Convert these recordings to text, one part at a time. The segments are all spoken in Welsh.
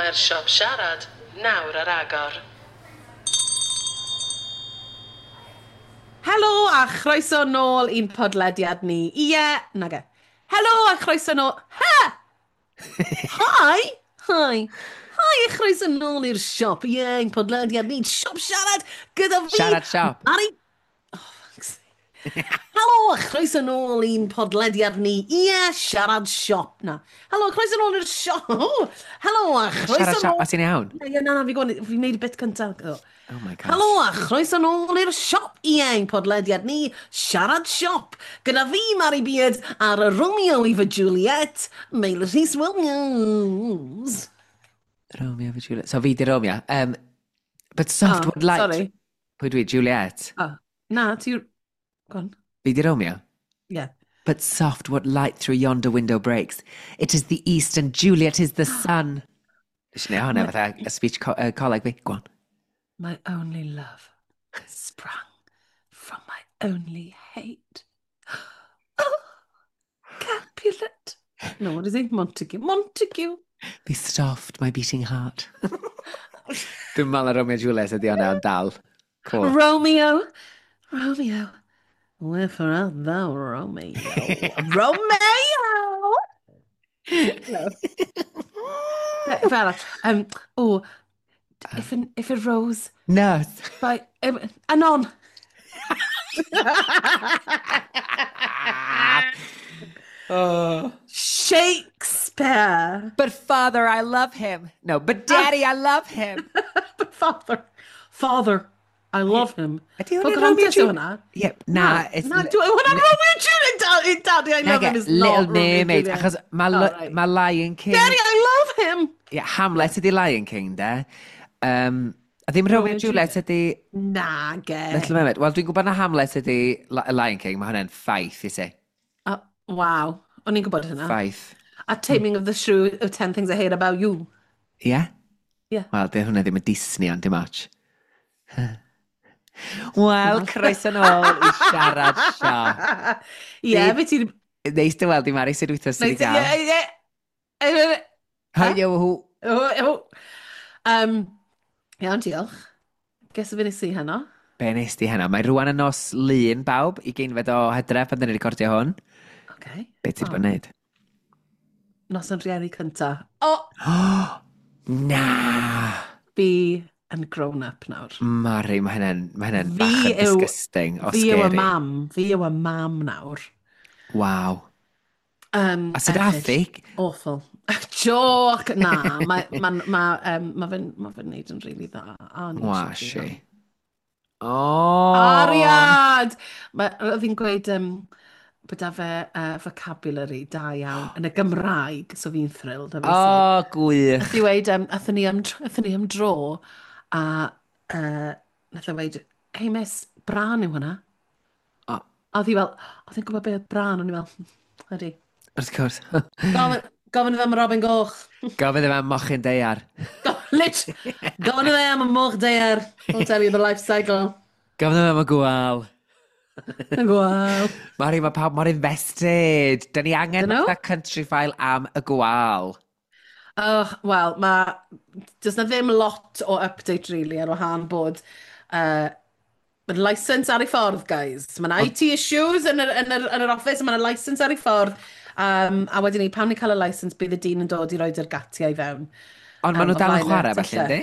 Mae'r siop siarad nawr ar agor. Helo a chroeso nôl i'n podlediad ni. Ie, nage. Helo a chroeso nôl... Ha! Hi! Hi! Hi a chroeso nôl i'r siop. Ie, ein podlediad ni, siop siarad gyda fi. Siarad siop. Mari... Oh, fuck's sake. Helo a chroeso nôl i'n podlediad ni. Ie, siarad siop. Na. Helo, chroeso nôl i'r siop. Helo a chroeso Siarad siop, nôl... a ti'n iawn? Ie, na, na, fi'n gwybod, fi'n neud y bit cyntaf. Oh. Oh my gosh. Helo a chroeso nôl i'r siop. Ie, ein podlediad ni, Siarad Siop. Gyda fi, Mari Beard, a'r Romeo i fy Juliet, Meilir Rhys Williams. Romeo for Juliet. So fi di Romeo. But soft Oh, would light. sorry. Pwy dwi? Juliet. Oh, na, ti... Go on. Fi di Romeo? Yeah. But soft what light through yonder window breaks. It is the east and Juliet is the sun. Nes i neud hwnna fatha a speech coleg fi. Go on. My only love sprung from my only hate. Oh, Capulet. No, what is it? Montague. Montague. Be soft, my beating heart. Dwi'n meddwl na Romeo and Juliet ydi hwnna, ond dal. Cool. Romeo. Romeo. Wherefore art thou, Romeo? Romeo! No. Fel, oh, if a rose No. by... Anon. Oh. Shakespeare. But father, I love him. No, but daddy, I love him. But father, I love him. Ydy Wel, hwnna'n Romeo gwrando and Juliet? hwnna? Yep, na. It's Na, dwi, hwnna'n Romeo and Juliet! Daddy, Daddy, I love Nage, him is Little not Romeo and Mermaid, Juliet. achos mae Oh, right. ma Lion King... Daddy, I love him! Yeah, Hamlet ydi Lion King, de. A ddim Romeo and Juliet ydi Na, ge. Little Mermaid. Wel, dwi'n gwybod na Hamlet ydi Lion King, mae hwnna'n ffaith i ti. Oh, waw, o'n i'n gwybod hynna. Ffaith. A Taming of the Shrew of 10 Things I Hate About You. Ie? Yeah? Ie. Wel, di hwnna ddim yn Disney, ond dim ots. Wel, croeso nôl i siarad siop. Ie, fe ti'n... Neis dy weld i Mari, sut wythnos sydd wedi gael? Ie, ie, ie. Hi, yo, hw. Iawn, diolch. Guess o fe nes i heno? Be nes di heno? Mae rwan yn nos Lun, bawb, i geinfed o Hydref pan dyn ni'n recordio hwn. Okay. Be ti wedi bod yn neud? Nos yn rhieni cynta. O! Na! Fi yn grown up nawr. Mari, mae hynna'n ma hynna'n Fi bach yn yw- disgusting o Fi yw y scary. mam. Fi yw y mam nawr. Waw. A sut erchyll. ath hi? Awful. Joke! Na, mae ma, ma, ma fe'n ma fe'n neud yn rili dda. A o'n i Wa, eisiau si. dweud. O! Ariad! Oedd hi'n gweud bod â fe vocabulary da iawn yn y Gymraeg, so fi'n thrilled, O, obviously. gwych. Nath i weud, athon ni am dro, a nath e weud, "Hey miss, brân yw hwnna." O. A oedd hi fel, oedd hi'n gwybod beth oedd brân, o'n i fel, ydy. Wrth gwrs. Gofyn iddo am Robin Goch. Gofyn iddo am mochyn daear. Lit! Gofyn iddo am y moch daear. I'll tell you the life cycle. Gofyn iddo am y gwal. Y gwal. Mari, mae pawb mor invested. Da ni angen Dyn nhw? fatha country file am y gwal. Oh, wel, mae... Does na ddim lot o update, really, ar wahân bod mae'n license ar ei ffordd, guys. Mae'n IT issues yn yr office, mae'n license ar ei ffordd. A wedyn ni, pan ni'n cael y license, bydd y dyn yn dod i roed yr gatiau i fewn. Ond maen nhw O dal yn flaen y chwarae, felly, tyllau. yndi?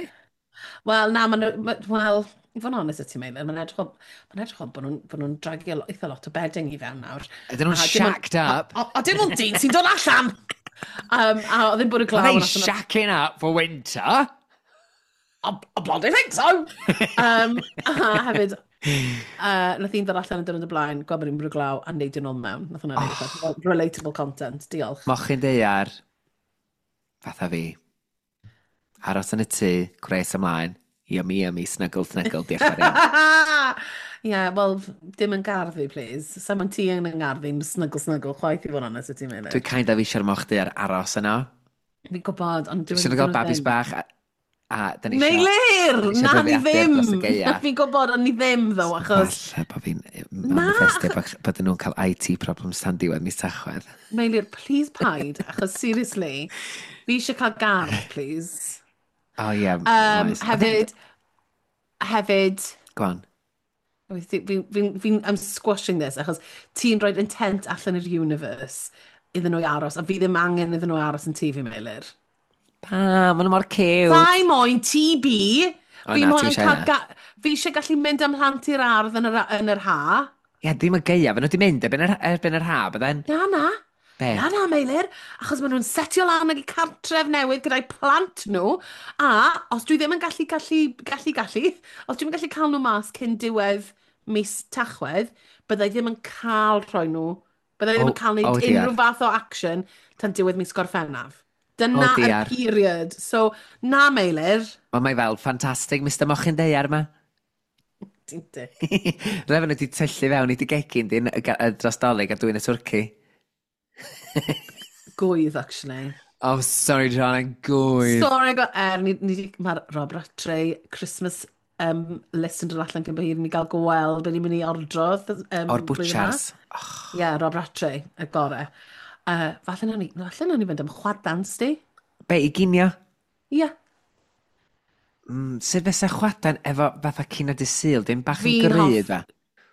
Wel, na, maen nhw... Wel, i fod yn honest â ti, Meilir, mae'n edrych fel bod nhw'n dragio eitha lot o bedding i fewn nawr. Ydyn nhw'n A dim ond- shacked up? A dim ond dyn sy'n dod allan! A oedd ddim bod y glaw. Are they nathon nhw- shacking up for winter? I bloody think so! A hefyd, nath un ddod allan yn dod y blaen, gweld bod hi'n bwrw glaw, a neud yn ôl mewn. Nath hwnna neud oh. Relatable content, diolch. Mochyn daear, fatha fi. Aros yn y tŷ, gwres ymlaen. Yummy, yummy, snuggle, snuggle, diolch yn fawr iawn. Ie, yeah, wel, dim yn gardd fi, please. Sa ma'n ti yn yng ngardd fi'n snuggle, snuggle, chwaith i fod yn onest, wyt ti'n meddwl? Dwi'n kind of eisiau'r moch daear aros yno. Fi'n gwybod, ond Dwi'n eisiau gael babis bach, a dyn ni isio Meilir! dyn ni isio Na, ni dyddiadur ddim! dros y gaeaf. Fi'n gwybod, ond ni ddim, ddo, achos Falle bod fi'n Na, manifestio bod nhw'n cael IT problems tan diwedd mis Tachwedd. Meilir, please paid, achos seriously, fi eisiau cael gardd, please. O ie, oes. Hefyd, hefyd, Go on. Fi, I'm squashing this, achos ti'n rhoi intent allan i'r universe iddyn nhw i aros, a fi ddim angen iddyn nhw aros yn tŷ fi, Meilir. Pa, maen nhw mor cute. Fai moyn TB! O Fi na, ti'n moyn eisiau cael hynna. Fi eisiau gallu mynd am mhlant i'r ardd yn yr ha. Ie, ddim y gaeaf, maen nhw wedi mynd erbyn yr ha, bydden? Na, na. Be? Na, na, Meilir. Achos maen nhw'n setio lan ag i cartref newydd gyda'i plant nhw. A os dwi ddim yn gallu, os dwi'm yn gallu cael nhw mas cyn diwedd mis Tachwedd, byddai ddim yn cael rhoi nhw, byddai ddim Oh, yn cael wneud oh dear. unrhyw fath o action tan diwedd mis Gorffennaf. Oh Dyna yr dear. period. So, na, Meilir. Wel, mae fel ffantastig, Mr Mochyn Daear yma. Ti'n dick. Rhaid nhw wedi tyllu fewn i dy gegin di dros Dolig a dwyn y twrci. Gwydd, actually. Oh, sorry, darling, gwydd. Sorry, go, ni, mae'r Rob Rattray Christmas list yn dod allan cyn bo hir i ni gael gweld beth ni'n mynd i ordro O'r blwyddyn yma. butchers. Ie, yeah, Rob Rattray, y gore. Falle nawn ni fynd am chwadan, sti. Be, i ginio? Ie. Yeah. Sut fysa chwadan efo fatha cinio dydd Sul, dim bach yn Fi'n gryf, fa?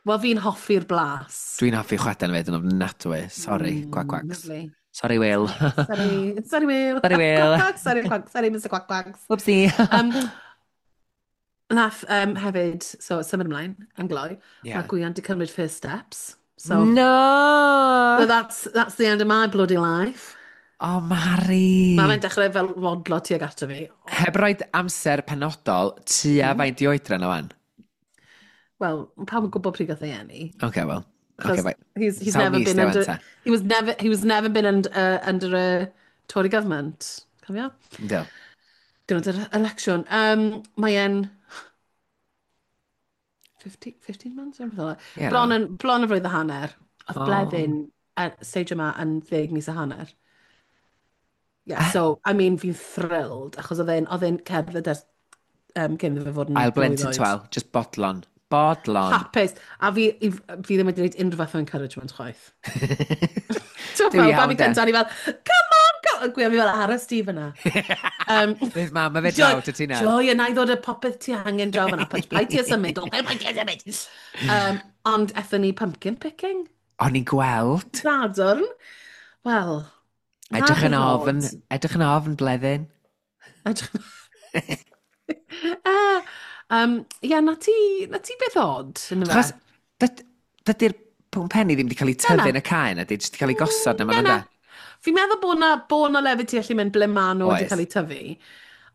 Wel, fi'n hoffi'r blas. Dwi'n hoffi chwadan fyd yn ofnadwy. Sorry, quack quacks. Lovely. Sorry, Will. Sorry, sorry, Will. Sorry, Will. Quack, quack, sorry, quack, sorry, Mr Quack Quacks. Whoopsie. Nath hefyd, so symud ymlaen, yn gloi, mae Gwion di cymryd first steps. So, No! so that's the end of my bloody life. Oh, Mari. Mae fe'n dechrau fel rodlo tuag ato fi. Heb roed amser penodol, tua faint i oedran o wan? Wel, pawb yn gwybod pryd gath ei eni. Oce, wel. Achos Oce, fine. he's Sawl never mis been di under wan ta? he was never been under a Tory government. Cofio? Ynddo. Diwrnod yr election. Mae e'n 15, 15 months? Rhywbeth fel 'na. Ie, Bron no. yn, bron yn flwydd a hanner. Oedd Oh. Bleddyn, stage yma yn 10 mis a hanner. Yeah, so, I mean, fi'n thrilled, achos oedd e'n cerdded ers cyn iddo fe fod yn Ail blwydd blentyn oed. 12, just bodlon. Bodlon. Hapus. A fi ddim wedi gwneud unrhyw fath o encouragement chwaith. Ti'n Duw fel, iawn, babi de. cyntaf, ni fel, "Come on, go!" A Gwion fi fel, "Aros di fyna." Fydd mam a fe draw dy ti nawr. Joy, yna i ddod y popeth ti angen draw fyna. Paid ti a symud, o, paid ti a symud. Ond ethon ni pumpkin picking. O'n i'n gweld. Sadwrn. Wel, na Edrych yn beth ofn, od. edrych yn ofn, Bleddyn. Ie, na ti beth od, yn Achos, fe? dydy'r pwmpenni ddim wedi cael eu Na, tyfu na. yn y cae na, di jyst wedi cael eu gosod na ma'n Na, na. da. Fi'n meddwl bod na lefydd ti allu mynd ble maen nhw wedi Oes. cael eu tyfu.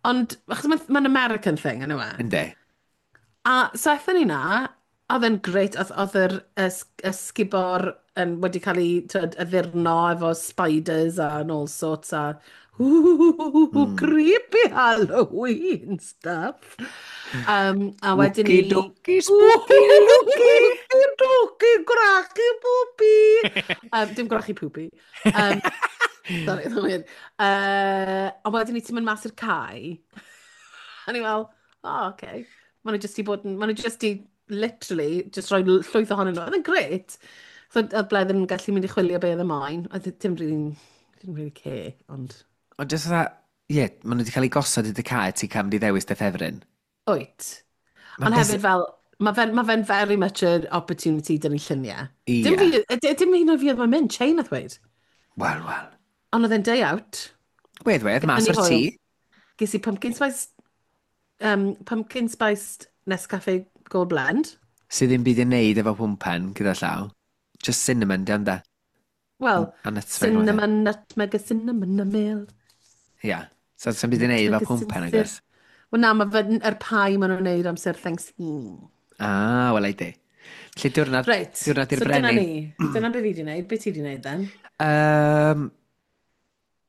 Ond, achos mae'n ma American thing, yn yw e? Yndi. A so aethon ni na, oedd e'n grêt, oedd yr ysgubor yn wedi cael ei tyd, addurno efo spiders and all sorts a ooh, creepy Halloween stuff. A wedyn ni. Wookie dookie, spooky looky. Dookie, gwrachu poopy. Dim gwrachu poopy. Sorry, oedd weird. A wedyn ni ti'n mynd mas i'r cae. A ni fel, "Oh, okay." Maen nhw jyst i bod yn, maen nhw jyst i literally just rhoi llwyth ohonyn nhw. Oedd yn grêt. So, oedd Bleddyn yn gallu mynd i chwilio be oedd y moyn. Oedd dim really, didn't really care, ond. Ond jyst fatha, ie, maen nhw wedi cael eu gosod i dy cae, ti'n cael mynd i ddewis dy ffefryn. Wyt. Ma'n Ond hefyd fel, mae fe'n very much an opportunity dyn ni lluniau. Ie. Dim fi, dim un o fi oedd mae'n mynd, Chain nath weud. Wel, wel. Ond oedd e'n day out. Wedd, wedd, mas Gaethon ni o'r tŷ. hwyl. Ges i pumpkin spiced Nescafe Gold Blend. Sydd ddim byd i wneud efo pwmpen gyda llaw. Just cinnamon, di ond da. Wel, A nutmeg. Cinnamon, nutmeg, a cinnamon a mel. Ie. So, sy'n byd i wneud efo Nutmeg a pwmpen, sinsir. agos. Wel na, mae fe'n yr pie maen nhw'n wneud amser Thanksgiving. Ah, wel, ei di. Felly diwrnod, Reit, diwrnod i'r so dyna brenin. ni. Dyna beth fi wedi wneud. Be ti wedi wneud then?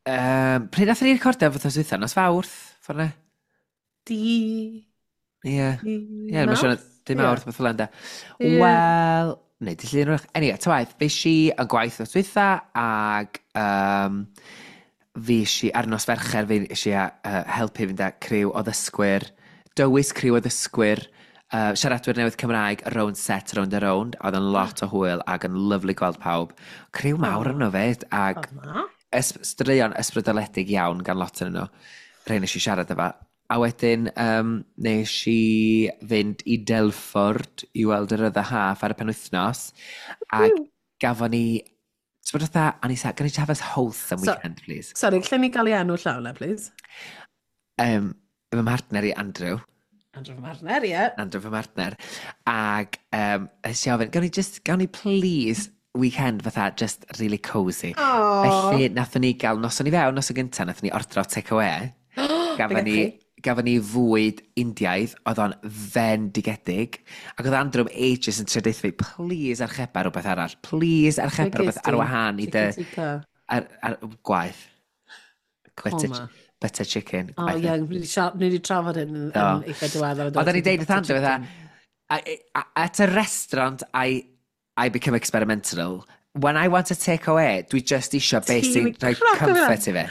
Pryd nath ni recordio fod dwytha? Nos Fawrth, ffordd ne? Di... Ie. Di Ie, mae'n siŵr, Mawrth? dim Ie. Mawrth, beth fel yna. Ie. Wel, neu, di llun wrach. Anyway, ta waith, fe si yn gwaith nos dwytha, ag fi si, ar nos Fercher, fi si helpu fynd â criw o ddysgwyr, dywys criw o ddysgwyr, siaradwyr newydd Cymraeg, round set, round a round. Oedd yn lot o hwyl ac yn lyfli gweld pawb. Criw mawr yno fyd, ag Oedd na. straeon ysbrydoledig iawn gan lot yn nhw. Rhai nes i siarad efo. A wedyn nes i fynd i Delford i weld yr other half ar y penwythnos. Ac gafon ni... Ti'n bod fatha, o'n i sa, can I just have a wholesome So, weekend, please? Sorry, lle ni gael ei enw llawn na, please? Fy mhartner i, Andrew. Andrew fy mhartner, ie. Yeah. Andrew fy mhartner. Ac nes i ofyn, gawn ni just, gawn ni please weekend fatha just really cosy. Oh. Felly, nathon ni gael noson i fewn, noson gyntaf, nathon ni ordro take away. Gafon ni fwyd Indiaidd, oedd o'n fendigedig. Ac oedd Andrew am ages yn trio deutha fi, please archeba rhywbeth arall. Please archeba rhywbeth ar wahân i dy... Ar gwaith. Butter, butter chicken. Oh, ie, yeah, ni wedi trafod hyn yn eitha diweddar. Oedden ni'n deud wrth Andrew, fatha, at a restaurant, I become experimental. When I want a take away, dwi just isio beth sy'n rhoi comfort i fi.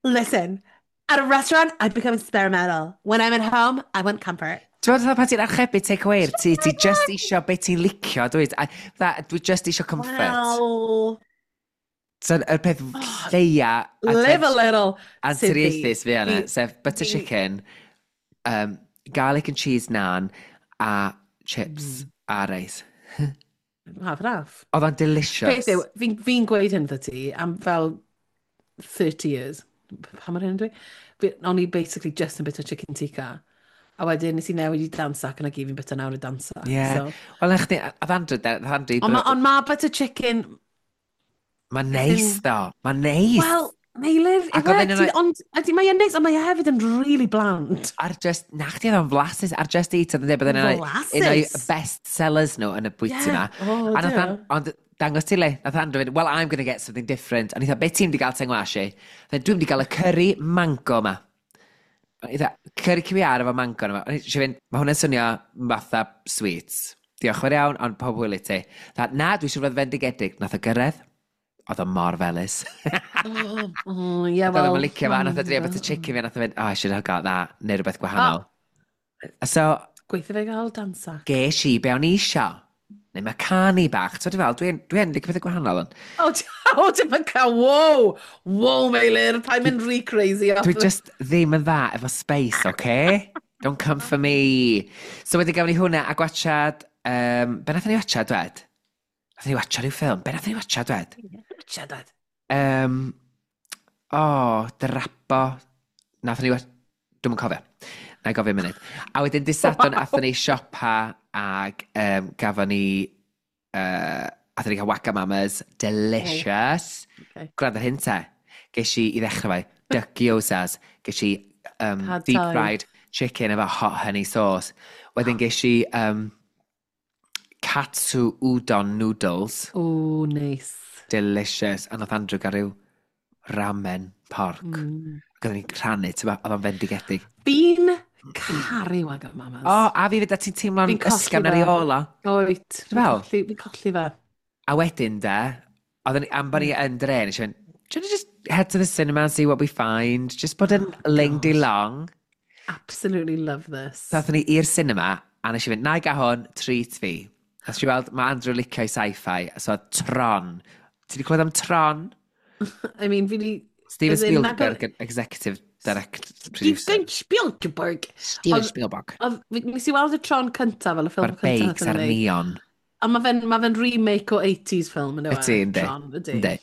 Listen, at a restaurant, I become experimental. When I'm at home, I want comfort. Ti'n meddwl pan ti'n archebu take away i'r tŷ, ti just isio beth ti'n licio, dwi? Dwi just isio comfort. Well. So, y peth lleia... Live a little. Anturiaethus fi yna, sef butter chicken, garlic and cheese naan, a chips a reis. Half and half. Oedd o'n delicious. Beth yw, fi'n gweud hyn wrtho ti am fel 30 years. Pa mor hyn dwi? O'n i basically just yn bit o chicken tikka. A wedyn nes i newid i dansac, yna gyd fi'n bit o nawr i dansac. Yeah. So. Wel, na chdi, oedd Andrew, oedd Andrew... Ond ma butter chicken... Mae'n neis, ddo. Mae'n neis. Wel, Meilir, ond ydy mae'n neis, ond mae e hefyd yn really bland. Ar just, na chdi oedd o'n flasus, ar Just Eat, oedd yn dweud bod yn un o'i best sellers nhw yn y bwyty yma. Oh, dear. Ond dangos ti le, nath Andrew fynd, well, I'm going to get something different. Ond i thought, be ti'n di gael tengwash i? Dwi'n di gael y curry mango ma. O'n i dda, curry QR efo mango yma. O'n i eisiau fynd, mae hwnna'n swnio fatha sweets. Diolch fawr iawn, ond pob hwyl i ti. Dda, na, dwi eisiau fod fendigedig. Nath o gyrraedd, oedd o mor felys. Oh, yeah, Oedd well... o'n licio fa, nath o drio butter chicken fi, nath o fynd, oh, I should have got that, neu rhywbeth gwahanol. So, Gweithio fe gael dansac. Ges i be o'n i isio. Neu macaroni bach. Ti'n fel, dwi'n dwi licio pethau gwahanol. Ond. Oh, dim yn cael, wow! Wow, Meilir, pa'n mynd rhy crazy. Dwi just ddim yn dda efo space, okay? Don't come for me. So wedyn gafon ni hwnna a gwachad... Be nathon ni watchad, dwed? Nathon ni watchad rhyw ffilm. Be nathon ni watchad, dwed? Watchad, dwed. Oh, Drapo. Nathon ni... Dwi'm yn cofio. Na i gofio munud. A wedyn dydd Sadwrn, athon ni siopa ag gafon ni... Athon ni cael Wagamama's. Delicious. Oh. Okay. Gwrando ar hyn te. Ges i ddechrau fe, duck gyozas. Ges i Pad deep Thai. fried chicken efo hot honey sauce. Wedyn ges i katsu udon noodles. Oh, nice. Delicious. A nath Andrew gael rhyw ramen pork. Ac oedden ni'n rhannu, ti'n oedd o'n fendigedig. Fi'n caru Wagamama's. O, a fi fyd, a ti'n teimlo'n Fi'n colli ysgafn ar ei fe. ôl o. Oed. Ti'n fel? Fi'n colli fe. A wedyn de, oedden ni, am bod ni yn dre, nes i fynd, do you wanna just head to the cinema and see what we find? Just bod yn Oh, ling di gosh. long. Absolutely love this. So aethon ni i'r cinema, a nes i fynd, na i gael hwn, treat fi. Nes i weld, mae Andrew licio i sci-fi, so Tron. Ti wedi clywed am Tron? I mean, fi di... Steven As in, Spielberg, executive direct producer. Steven Spielberg. Steven Spielberg. Nes i weld y Tron cyntaf fel y ffilm Mae'r cyntaf. beics a'r neon. A mae fe'n ma fe remake o 80s film yn Ydy, yndi. Tron, ydy. Yndi.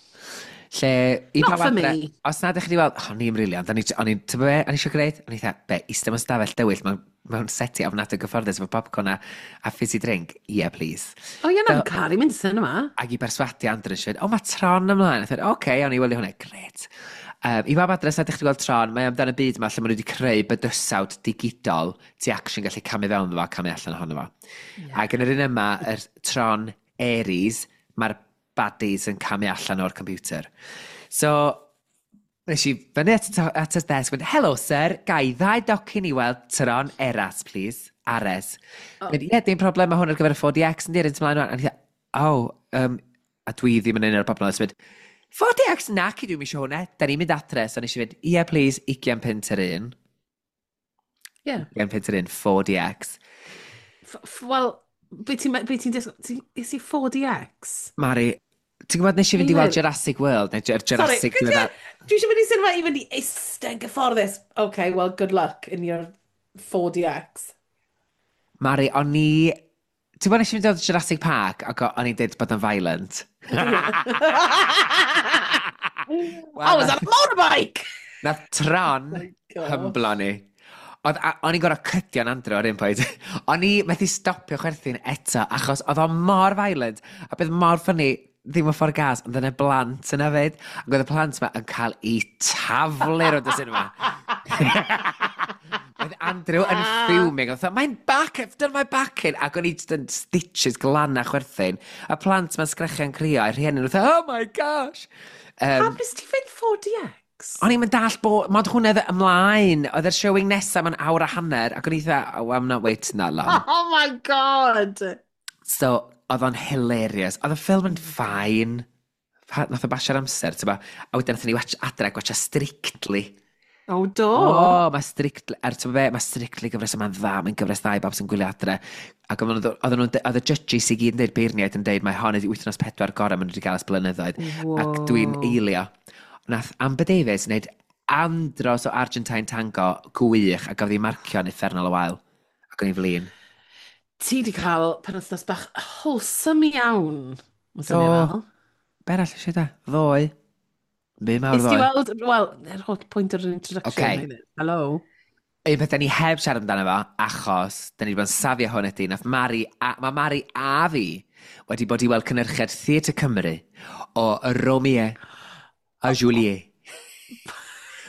Lle, i Not pawb for adre, me. os nad ydych chi wedi weld, o'n i'n briliant, o'n i'n, ti'n be, o'n i eisiau gwneud? O'n i dda, be, eistedd mewn stafell dywyll mewn seti ofnadwy gyfforddus efo popcorn a fizzy drink? Yeah, please. O, ie, na, fi'n caru mynd i cinema. Ac i berswadio Andrew, eisiau o, mae Tron ymlaen. A dweud, oce, okay, o'n i wylio hwnna, gret. I bawb adre, os nad ydych chi wedi gweld Tron, mae amdan y byd yma lle maen nhw wedi creu bydysawd digidol ti actually gallu camu fewn iddo fo a camu allan ohono fo. Yeah. Ac yn yr un yma, yr Tron Ares, mae'r baddies yn camu allan o'r computer. So, nes i fyny at y desk, mynd, hello sir, gai ddau docyn i weld Tron Eras, please. Ares. Oh. Mynd, ie, dim problem, mae hwn ar gyfer y 4DX, yn diryn ymlaen. A ni dda, oh, a dwi ddim yn un o'r bobl yna, mynd, 4DX, nac i dwi'n eisiau hwnna, da ni'n mynd adre, so nes i fynd, ie, please, 20 punt yr un. Yeah. 20 punt yr un, 4DX. Wel, be ti'n disgwyl? Is i 4DX? Mari, Ti'n gwybod nes i fynd i weld Meilir. Jurassic World, neu Sorry, Jurassic diweddar. dwi eisiau mynd i cinema i fynd i eistedd yn gyfforddus. Okay, well, good luck in your 4DX. Mari, o'n i... Ti'n gwybod nes i fynd i weld Jurassic Park ac o'n i'n dweud bod yn violent? I was on a motorbike! Nath Tron Oh hymblo ni. Oedd, o'n i'n gorfod cydio'n Andrew ar un pwynt. O'n i methu stopio chwerthin eto, achos oedd o mor violent, a beth mor funny, ddim yn ffordd gas, ond yna blant yna fyd. Ac oedd y plant yma yn cael eu taflu rownd y cinema. Oedd Andrew yn fuming, oedd mae'n back, I've done my back in. Ac o'n i just yn stitches glan a chwerthin. A plant ma'n sgrechian crio, a'r rhieni nhw'n oh my gosh. Pam nes ti fynd 4DX? O'n i'n mynd dall bod, mod hwnna oedd ymlaen, oedd yr showing nesaf mewn awr a hanner, ac o'n i dda, oh, I'm not waiting that long. Oh my God! So, oedd o'n hilarious. Oedd y ffilm yn fine. Nath o basio'r amser, ti'n ba? A wedyn nathon ni watch adre, gwatcha Strictly. Oh, do. O, mae Strictly, er ti'n be, mae Strictly gyfres yma'n dda, mae'n gyfres dda i bawb sy'n gwylio adre. Ac oedd y judges i gyd yn dweud, beirniaid yn dweud, mae hon ydi wythnos 4 gorau maen nhw wedi cael ers blynyddoedd. Ac dwi'n eilio. Nath Amber Davies wneud andros o Argentine Tango gwych a gafodd ei marcio'n uffernol o wael. Ac o'n i'n flin. Ti di cael penwythnos bach wholesome iawn. Mae'n swnio fel. Be arall eisiau da? Ddoe. Be mawr Nes ti ddoe. weld, wel, yr holl pwynt o'r introduction. Okay. Hello. Un peth da ni heb siarad amdano fo, achos da ni wedi bod yn safio hwn ydy, nath Mari, a, mae Mari a fi wedi bod i weld cynhyrchiad Theatr Cymru o Romeo a Juliet.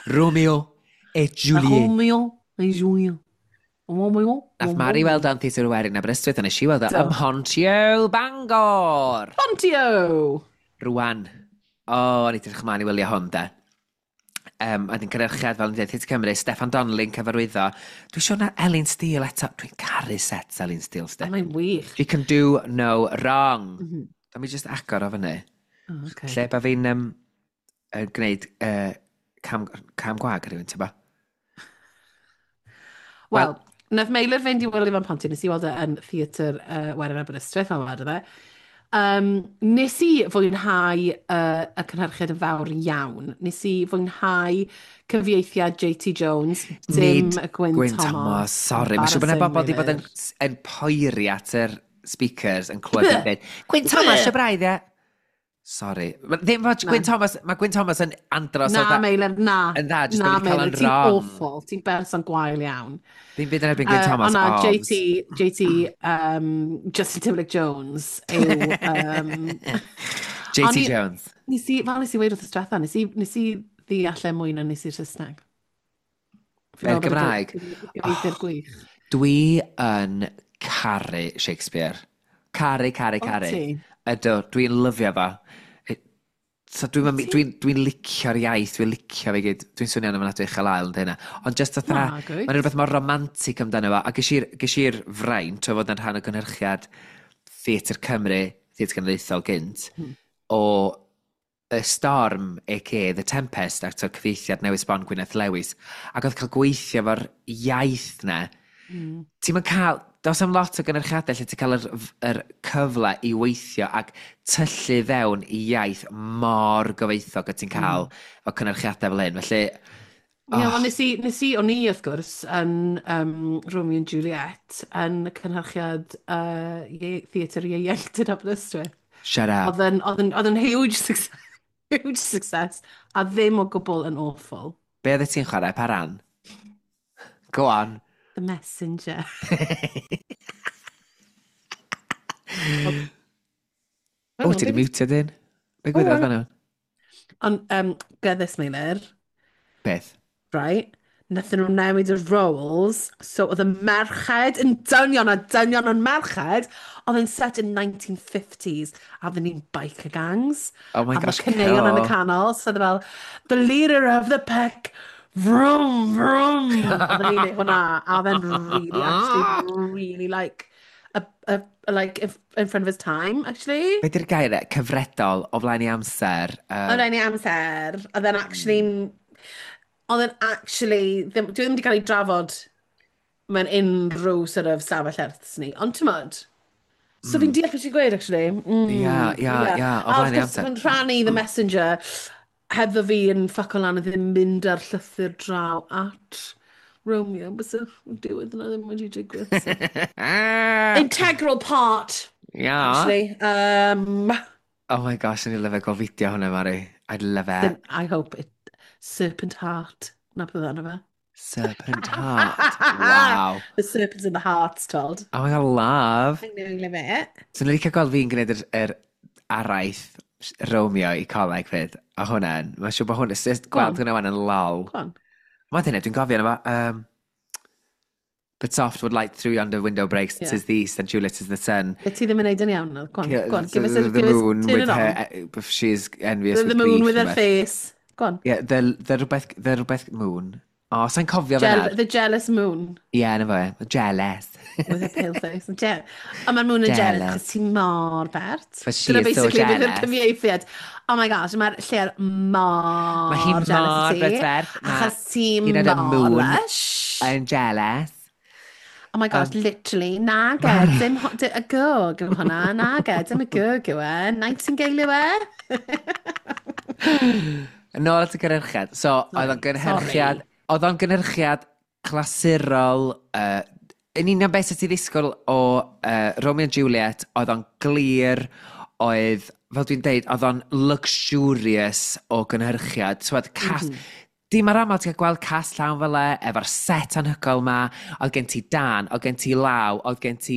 Romeo et Juliet. Romeo et Juliet. Romeo. Nath Mari weld o'n Theatr Werin Aberystwyth, a nes i weld o Do. ym Mhontio Bangor. Pontio! Rwan. O, o'n i edrych ymlaen i wylio hwn, de. A dyn cynhyrchiad, fel yn dweud, Theatr Cymru, Steffan Donnelly'n cyfarwyddo. Dwi'n siŵr na Elin Steele eto. Dwi'n caru sets Elin Steele, A sti. mae'n wych. She can do no wrong. Mm Mhm. -hmm. Mi just agor o fyny. Oh, okay. Lle ba fi'n gwneud cam gwag ar rhywun, ti'n ba? Wel, nath Meilir fynd i wylio fo'n Pontio, nes i weld e yn theatr Werin Aberystwyth, fel wedodd e. Nes i fwynhau y cynhyrchiad yn fawr iawn. Nes i fwynhau cyfieithiad JT Jones, dim Nid y Gwyn, Gwyn Thomas. Thomas, sorry. Mae'n siŵr bod yna bobl wedi bod yn poeri at yr speakers yn clywed yn dweud, Gwyn Thomas, y braidd, ie? Sorry. Ddim fod Gwyn Thomas, mae Gwyn Thomas yn andros o Na, dda. Meilir, na. Yn dda, jyst Na, bod wedi cael Meilir, yn ti'n wrong. awful. Ti'n berson gwael iawn. Ddim byd yn erbyn Gwyn Thomas, Ond na, obs. JT, Justin Timberlake Jones yw... JT O'n Jones. Nes i, fel nes i weud wrth y diwetha, nes i ddeall e mwy na nes i'r Saesneg. Fi'n Be'r meddwl bod y Gymraeg? Gyfieithu'r gwych. Dwi yn caru Shakespeare. Caru, caru, caru. ti? Ydw, dwi'n lyfio fo. So dwi'n dwi, dwi licio'r iaith, dwi'n licio fe gyd. Dwi'n swnio'n ymwneud uchel ail yn hynna. Ond just fatha, Na, good. mae'n rhywbeth mor romantic amdano fo. A ges i'r fraint o fod yn rhan o gynhyrchiad Theatr Cymru, Theatr Genedlaethol gynt, o y Storm, a.k.a. The Tempest, ac o'r cyfieithiad newydd sbon Gwyneth Lewis. Ac oedd cael gweithio efo'r iaith na. Ti'n mynd cael, does am lot o gynyrchiadau lle ti'n cael yr cyfle i weithio ac tyllu fewn i iaith mor gyfoethog a ti'n cael o cynyrchiadau fel hyn. Felly, Ie, wel, nes i, o'n i wrth gwrs, yn Romeo and Juliet, yn y cynhyrchiad Theatr Ieuenctid Aberystwyth. Shut up. Oedd yn huge success, huge success, a ddim o gwbl yn awful. Be oedd ti'n chwarae? Pa ran? Go on. The Messenger. O, ti di mutio dyn? Be gwyddoedd fan hwn? Ond, get this, Meilir, Beth? right? Nathon nhw newid y roles, so oedd y merched yn dynion a dynion yn merched, oedd yn set in 1950s, a oedden ni'n biker gangs. Oh my A gosh, oedd y caneuon yn y cool. canol, so oedd e fel, the leader of the pack, vroom, vroom. Oedden ni'n neud hwnna, a oedd e'n really, actually, really like, like in front of his time, actually. Be di'r gair e? Cyfredol o flaen i amser. Oedd e'n ei amser, oedd e'n actually, oedd e'n actually, ddim, dwi ddim wedi cael ei drafod mewn unrhyw sort of stafell erths ni, ond ti'n modd, So fi'n deall beth ti'n gweud, actually. Ia, ia, ia, o A flaen wrth ei gwrs, amser. mae'n rhannu The Messenger, hebddo fi yn ffucko lan a ddim mynd ar llythyr draw at Romeo, but so, diwedd yna ddim wedi digwydd. So. Integral part, actually. Oh my gosh, o'n i'n lyfio gweld fideo hwnna, Mari. I'd love it. Then I hope it... Serpent Heart. Na beth oedd enw fe. Serpent Heart. Wow. The Serpent's in the Hearts, told. Oh my God, love. I know, love it. So ni'n licio gweld fi'n gwneud yr araith Romeo i coleg fyd. A hwnna'n, mae'n siŵr bod hwnna, just Go gweld on. hwnna wan yn lol. Go on. Mae'n dyna, dwi'n gofio yna fo. But soft would light through yonder window breaks, 'tis the east and Juliet is the sun. Be ti ddim yn neud yn iawn, no? Go on, go on. Give us a, the give us, moon turn with it on. her, she's envious The, with the moon grief. with her Rhywbeth. face. Go on. Yeah, the rhywbeth, the rhywbeth moon. O, oh, sa'n cofio fe nawr. The jealous moon. Ie, yeah, na fo, jealous. With her pale face. Ond mae'r moon yn jealous, Jealous. chos ti mor bert. But she Dyna is so basically beth yw'r jealous. cyfieithiad. Oh my gosh, mae'r lle'r mor Mae hi jealous mor o ti. brydferth. Ma' Achos ti hi'n y mor moon. lush. I'm jealous. Oh my gosh, literally, nage, dim y gog yw hwnna, nage, dim y gog yw e, Nightingale yw e. Yn ôl at y gynhyrchiad. So, oedd o'n gynhyrchiad... Oedd o'n gynhyrchiad clasurol... Yn union beth sydd ti ddisgwyl o Romeo and Juliet, oedd o'n glir, oedd, fel dwi'n deud, oedd o'n luxurious o gynhyrchiad. So, oedd cast... Dim ar aml ti'n cael gweld cast llawn fel e, efo'r set anhygoel ma, oedd gen ti dan, oedd gen ti law, oedd gen ti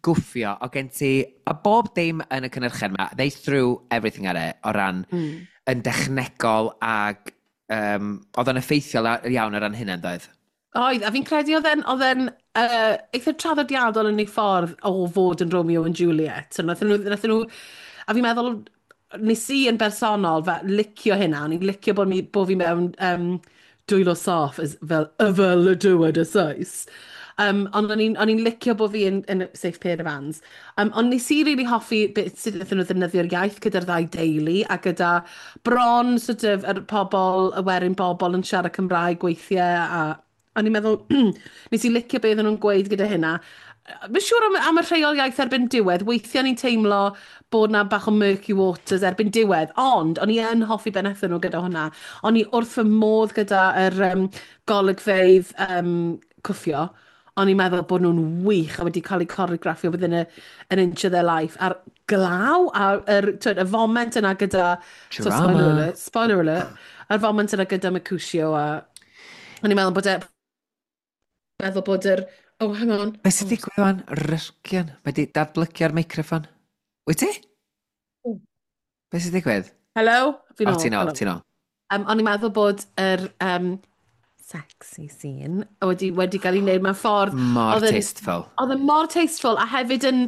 gwffio, oedd gen ti... A bob dim yn y cynhyrchiad ma, they threw everything at it o ran yn dechnegol ag oedd o'n effeithiol iawn o ran hynny, doedd? Oedd, a fi'n credu oedd e'n eitha traddodiadol yn ei ffordd o fod yn Romeo and Juliet. So, nathon nhw, a fi'n meddwl, nes i yn bersonol fe, licio hynna, o'n i'n licio bod fi mewn dwylo saff as, fel y fel y dywed y Sais. Ond o'n i'n licio bod fi yn safe pair of hands. Ond nes i really hoffi beth sut wnaethon nhw ddefnyddio'r iaith gyda'r ddau deulu a gyda bron sort of, yr pobl, y werin bobl yn siarad Cymraeg weithiau a o'n i'n meddwl, nes i licio beth o'n nhw'n gweud gyda hynna. Mae'n siŵr am y rheol iaith erbyn diwedd, weithiau ni'n teimlo bod na bach o murky waters erbyn diwedd, ond o'n i yn hoffi be wnaethon nhw gyda hwnna. O'n i wrth fy modd gyda yr golygfeydd cwffio. O'n i'n meddwl bod nhw'n wych a wedi cael eu coreograffio within an inch of their life. A'r glaw, a'r yr, twyd, y foment yna gyda... So, spoiler Drama. alert, spoiler alert. A'r foment yna gyda Mercutio a... O'n i'n meddwl bod e... Meddwl bod yr... Oh, hang on. Beth sy'n digwydd wan? Ryrgian. Mae di datblygio'r meicroffon. Wyt ti? O. Beth sy'n digwydd? Hello? Fi'n O, ôl. ti'n ôl, Hello. ti'n ôl. O'n i'n meddwl bod yr sexy scene wedi cael ei wneud mewn ffordd... Mor tasteful. Oedd yn mor tasteful a hefyd yn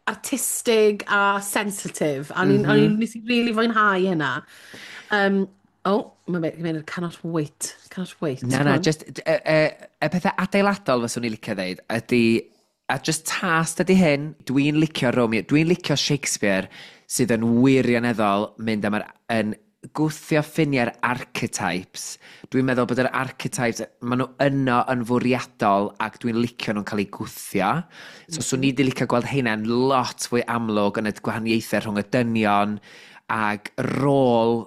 artistig a sensitive. A o'n i'n nes i really fwynhau hynna. Oh, mae'n mynd, cannot wait. Cannot wait. Na, Go na, on. just, y pethau adeiladol fyswn i licio ddeud ydy, a just taste ydy hyn, dwi'n licio Romeo, dwi'n licio Shakespeare sydd yn wirioneddol mynd am yr, yn gwthio ffiniau'r archetypes. Dwi'n meddwl bod yr archetypes, maen nhw yno yn fwriadol ac dwi'n licio nhw'n cael eu gwthio. So, swn i wedi licio gweld heina'n lot fwy amlwg yn y gwahaniaethau rhwng y dynion ag rôl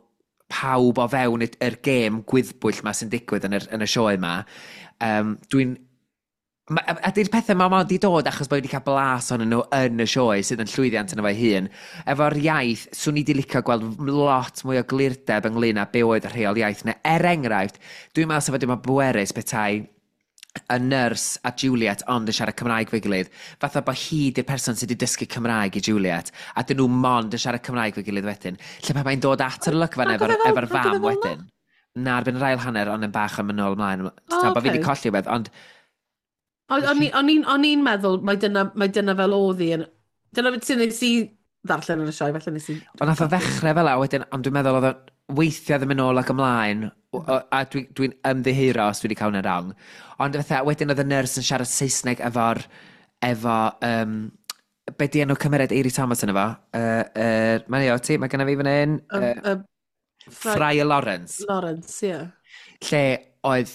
pawb o fewn yr gêm gwyddbwyll ma sy'n digwydd yn y sioe ma. Dwi'n... A di'r pethau ma mond i dod achos bod wedi cael blas ohonyn nhw yn y sioe sydd yn llwyddiant yn efo'i hun. Efo'r iaith, swn i wedi licio gweld lot mwy o glirdeb ynglyn â be oedd y rheol iaith. Neu, er enghraifft, dwi'n meddwl sef wedi bod bwerus petai y nyrs a Juliet ond yn siarad Cymraeg fo'i gilydd. Fatha bod hi di'r person sydd wedi dysgu Cymraeg i Juliet, a dyn nhw mond yn siarad Cymraeg fo'i gilydd wedyn. Lle pan mae'n dod at yr olygfa Nag efo'r oedd e efo nag oedd e fam fel 'na? wedyn. Na, erbyn yr ail hanner, ond yn bach yn mynd nôl ymlaen. O, Ta, bod fi wedi ocê. colli beth, ond O'n i'n meddwl, mae dyna fel oedd hi. Dyna beth sy'n nes i ddarllen yn y sioe, felly nes i... Ond nath o ddechrau fel 'a wedyn, ond dwi'n meddwl oedd o weithiau ddim yn ôl ac ymlaen, a dwi ymddiheuro os dwi wedi cael hwnna'n wrong. Ond fatha, wedyn oedd y nyrs yn siarad Saesneg efo, be di enw cymeriad Eiry Thomas yn efo? Mae'n o ti, mae genna fi fan hyn. Friar Lawrence. Lawrence, ie. Lle oedd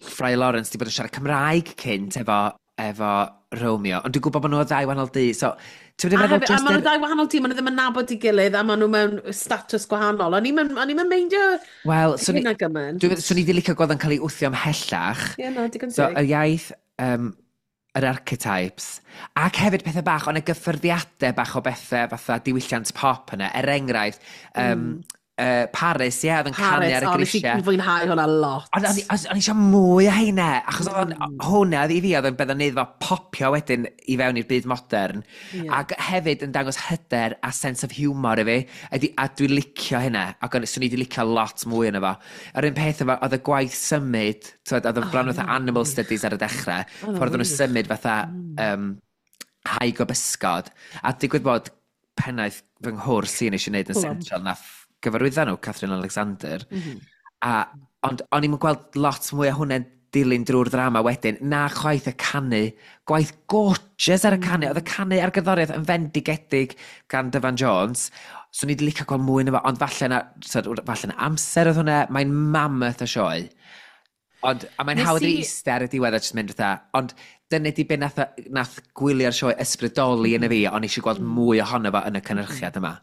Friar Lawrence di bod yn siarad Cymraeg cynt efo efo Romeo, ond dwi'n gwybod bod nhw o ddau wahanol du, so ti'n A meddwl hefyd, a just maen nhw ddau wahanol tîm, maen nhw ddim yn nabod ei gilydd, a maen nhw mewn status gwahanol. O'n i'm yn meindio Wel, swn i, hynna gymaint. Swn i wedi licio gweld yn cael ei wthio ymhellach. Ie, na, digon So, teg. y iaith, yr archetypes, ac hefyd pethau bach, ond y gyffyrddiadau bach o bethau fatha diwylliant pop yna, er enghraifft, Paris, ie, oedd yn canu Paris, ar y o, nes i grisiau. fwynhau hwnna lot. Ond o'n i eisiau mwy o heina, achos oedd hwnna oedd i fi, oedd yn beth o'n neud fo popio wedyn i fewn i'r byd modern. Ac hefyd yn dangos hyder a sense of humour i fi, ydy, a dwi'n licio hynna, ac swn i wedi licio lot mwy yna fo. Yr un peth efo, oedd y gwaith symud, t'wod, oedd y bron fatha animal studies ar y dechrau, Oedd o'n ffordd o'n nhw'n wych. symud fatha haig o bysgod, a digwydd bod pennaeth fy nghwrs i nes i wneud yn Plum. Central, nath gyfarwyddo nhw, Catherine Alexander. A, ond o'n i'n gweld lot mwy o hwnna'n dilyn drwy'r ddrama wedyn, na chwaith y canu, gwaith gorgeous ar y canu, oedd y canu a'r gerddoriaeth yn fendigedig gan Dyfan Jones, so ni wedi licio gweld mwy na fo, ond falle na, so, falle na amser oedd hwnna, mae'n mammoth o sioe. Ond, a mae'n hawdd i eistedd ar y diwedd a jyst mynd fatha, ond dyna di be nath gwylio'r sioe ysbrydoli yn y fi, ond eisiau gweld mwy ohono fo yn y cynhyrchiad yma.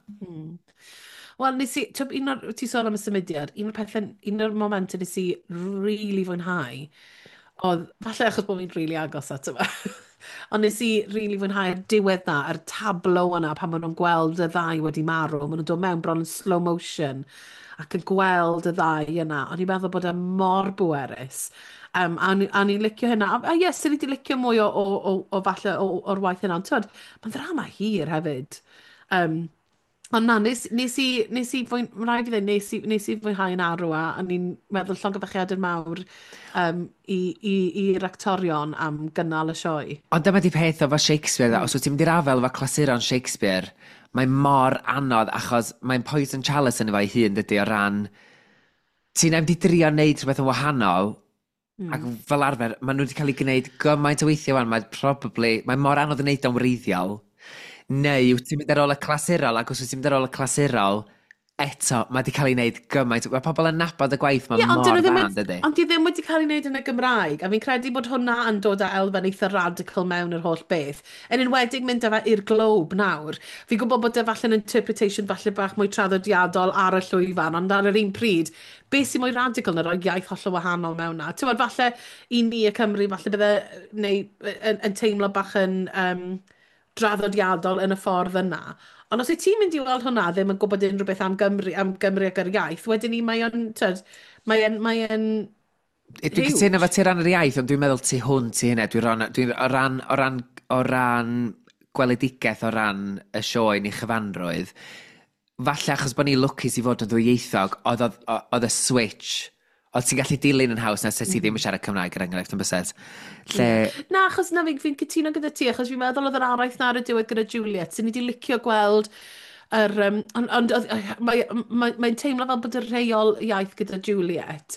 Wel, nes i, twb, un o'r, ti sôn am y symudiad, un o'r pethau, un o'r momentau nes i really fwynhau, oedd, falle achos bod fi'n really agos ato fe, ond nes i really fwynhau'r diwedd na, yr tableau yna, pan maen nhw'n gweld y ddau wedi marw, maen nhw'n dod mewn bron yn slow motion, ac yn gweld y ddau yna. O'n i'n meddwl bod e mor bwerus. A o'n i'n licio hynna. A yes, o'n i wedi licio mwy o falle o'r waith hynna. Ond twyd, mae'n ddrama hir hefyd. Ond na, mae'n rhaid i ddweud, nes i fwynhau yn arw a o'n i'n meddwl llongyfarchiadau mawr i'r actorion am gynnal y sioe. Ond dyma di peth efo Shakespeare, os wyt ti'n mynd i'r afel efo clasuron Shakespeare, mae mor anodd achos mae'n poison chalice yn efo'i hun, dydy, o ran... Ti'n mynd i drio wneud rhywbeth yn wahanol, ac fel arfer, maen nhw wedi cael ei gwneud gymaint o weithiau wan, mae'n probably... Mae mor anodd i wneud o'n wreiddiol. Neu wyt ti'n mynd ar ôl y clasurol, ac os wyt ti'n mynd ar ôl y clasurol, eto, mae wedi cael ei wneud gymaint. Mae pobl yn nabod y gwaith, mae Ie, ond mor dyn nhw ddim dda, wedi, dydy. ond di ddim wedi cael ei wneud yn y Gymraeg, a fi'n credu bod hwnna yn dod â elfen eitha radical mewn yr holl beth. Yn enwedig mynd â fe i'r Globe nawr. Fi'n gwybod bod e falle'n interpretation falle bach mwy traddodiadol ar y llwyfan, ond ar yr un pryd, beth sy'n mwy radical na rhoi iaith hollol wahanol mewn na? Ti'n gwbod, falle i ni y Cymru, falle bydde, neu yn teimlo bach yn draddodiadol yn y ffordd yna. Ond os wyt ti'n mynd i weld hwnna ddim yn gwybod unrhyw beth am Gymru ac yr iaith, wedyn ni mae o'n, tyd, mae o'n Dwi'n cytuno efo ti ran yr iaith, ond dwi'n meddwl tu hwnt i hynna. Dwi'n ran, dwi, o, ran, o, ran, o ran gweledigaeth, o ran y sioe ni chyfanrwydd, falle achos bod ni lwcus i fod yn ddwyieithog, oedd y switch, oedd ti'n gallu dilyn yn haws na set ti ddim yn siarad Cymraeg, er enghraifft, yn byset. Lle, Na, achos na, fi'n fi cytuno gyda ti, achos fi'n meddwl oedd yr araith na ar y diwedd gyda Juliet, sy'n ni wedi licio gweld yr... Ond mae'n mae teimlo fel bod y rheol iaith gyda Juliet,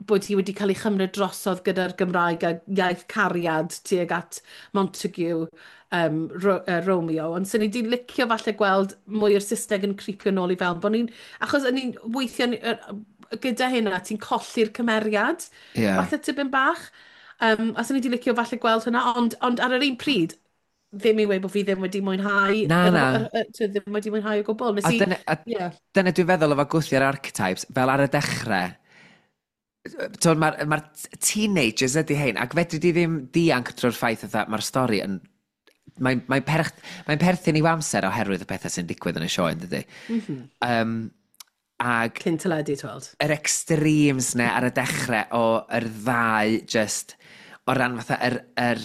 bod hi wedi cael ei chymryd drosodd gyda'r Gymraeg a iaith cariad tuag at Montague, Romeo, ond sy'n ni wedi licio falle gweld mwy o'r Saesneg yn creepio nôl i fewn. Bod ni'n, achos o'n ni'n weithio gyda hynna, ti'n colli'r cymeriad, falle tipyn bach. A sy'n ni wedi licio falle gweld hynna, ond ar yr un pryd, ddim i weud bod fi ddim wedi mwynhau. Na, na. Ddim wedi mwynhau o gwbl. Nes A i, dyna, dyna dwi'n feddwl efo gwthio'r archetypes, fel ar y dechrau, mae'r ma teenagers ydy hein, ac fedri di ddim dianc drwy'r ffaith fatha, mae'r stori yn... Mae'n mae perthyn i'w amser oherwydd y pethau sy'n digwydd yn y sioe, yn dydy? Mm -hmm. Ag Cyn teledu, tweld. yr extremes ne ar y dechrau o yr ddau just o ran fatha yr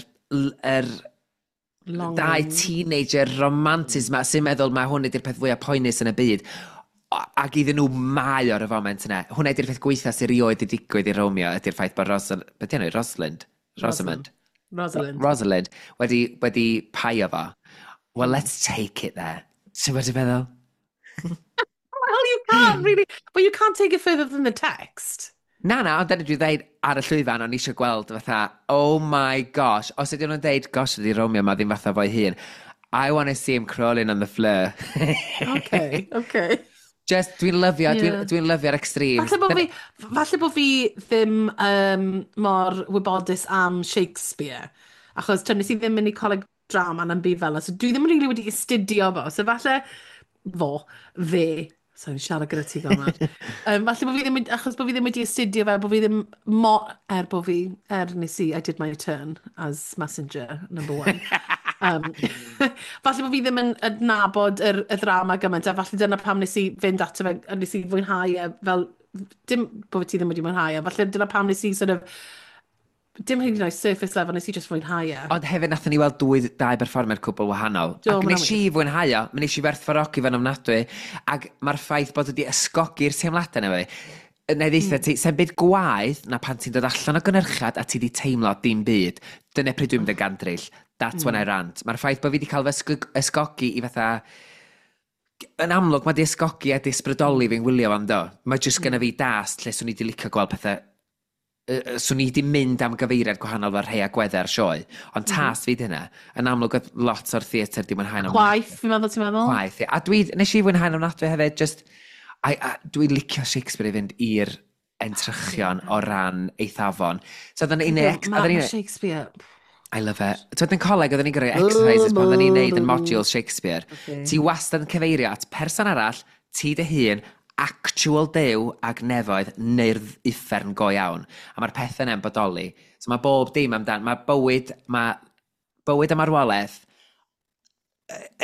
Longing. dau teenager romantis ma sy'n meddwl mae hwn ydy'r peth fwyaf poenus yn y byd. Ac iddyn nhw mae o'r y foment yna. Hwnna ydy'r peth gweitha sy'n rioed i digwydd i Romeo ydy'r ffaith bod Beth 'di enw? Rosalind? Rosamund? Rosalind. Rosalind wedi paio fo. Well, let's take it there. Ti'n wedi meddwl? Well, you can't really, but you can't take it further than the text. Na, na, ond dyna dwi'n dweud ar y llwyfan, o'n i eisiau gweld fatha, oh my gosh, os ydyn nhw'n deud, gosh, ydy Romeo ma ddim fatha fo'i hun. I want to see him crawling on the floor. Okay. Just, dwi'n lyfio, dwi lyfio'r extremes. Falle bod fi ddim mor wybodus am Shakespeare. Achos tyn, nes i ddim mynd i coleg drama na'n byd fel 'na, so dwi ddim yn really wedi astudio fo. So falle, fo, fe, sorry, siarad gyda ti gormod. Falle bod fi ddim, achos bod fi ddim wedi astudio fe, bod fi ddim mo, er bod fi, er nes i, I did my turn as messenger number one. Falle bod fi ddim yn adnabod y ddrama gymaint, a falle dyna pam nes i fynd ato fe, a nes i fwynhau e, fel, dim bod ti ddim wedi mwynhau e, falle dyna pam nes i sort of, dim hyd yn oed surface level, nes i just fwynhau e. Ond hefyd nathon ni weld dau berfformiad cwbl wahanol. Do, Ac ma' nes hwnna'n i fwynhau o, mi nes i werthfawrogi fe'n ofnadwy, ac mae'r ffaith bod wedi ysgogi'r teimladau na fi. Neu ddeitha ti, sa'm byd gwaeth na pan ti'n dod allan o gynhyrchiad a ti di teimlo dim byd. Dyna pryd dwi'n mynd yn gandryll. That's when I rant. Mae'r ffaith bod fi wedi cael fy ysgogi i fatha, yn amlwg mae di ysgogi a di ysbrydoli fi'n wylio fan do. Mae jyst gynna fi dast lle swn i di licio gweld pethau, swn i di mynd am gyfeiriad gwahanol fel rhai agweddau ar sioe. Ond taste fi di hynna. Yn amlwg oedd lot o'r theatr di mwynhau'n Chwaith, fi'n meddwl, ti'n meddwl? Chwaith, ie. A dwi, nes i fwynhau'n ofnadwy hefyd, just, dwi'n licio Shakespeare i fynd i'r entrychion o ran eithafon. So oedden ni'n Ma, oedden ma ni'n Shakespeare. I love it. Twyd yn coleg, oedden ni'n gyrru exercises pan oedden ni'n neud yn modules Shakespeare. Ti wastad yn cyfeirio at person arall, ti dy hun, actual Duw ag nefoedd neu'r uffern go iawn. A mae'r pethau yna'n bodoli. So mae bob dim amdan, mae bywyd a marwolaeth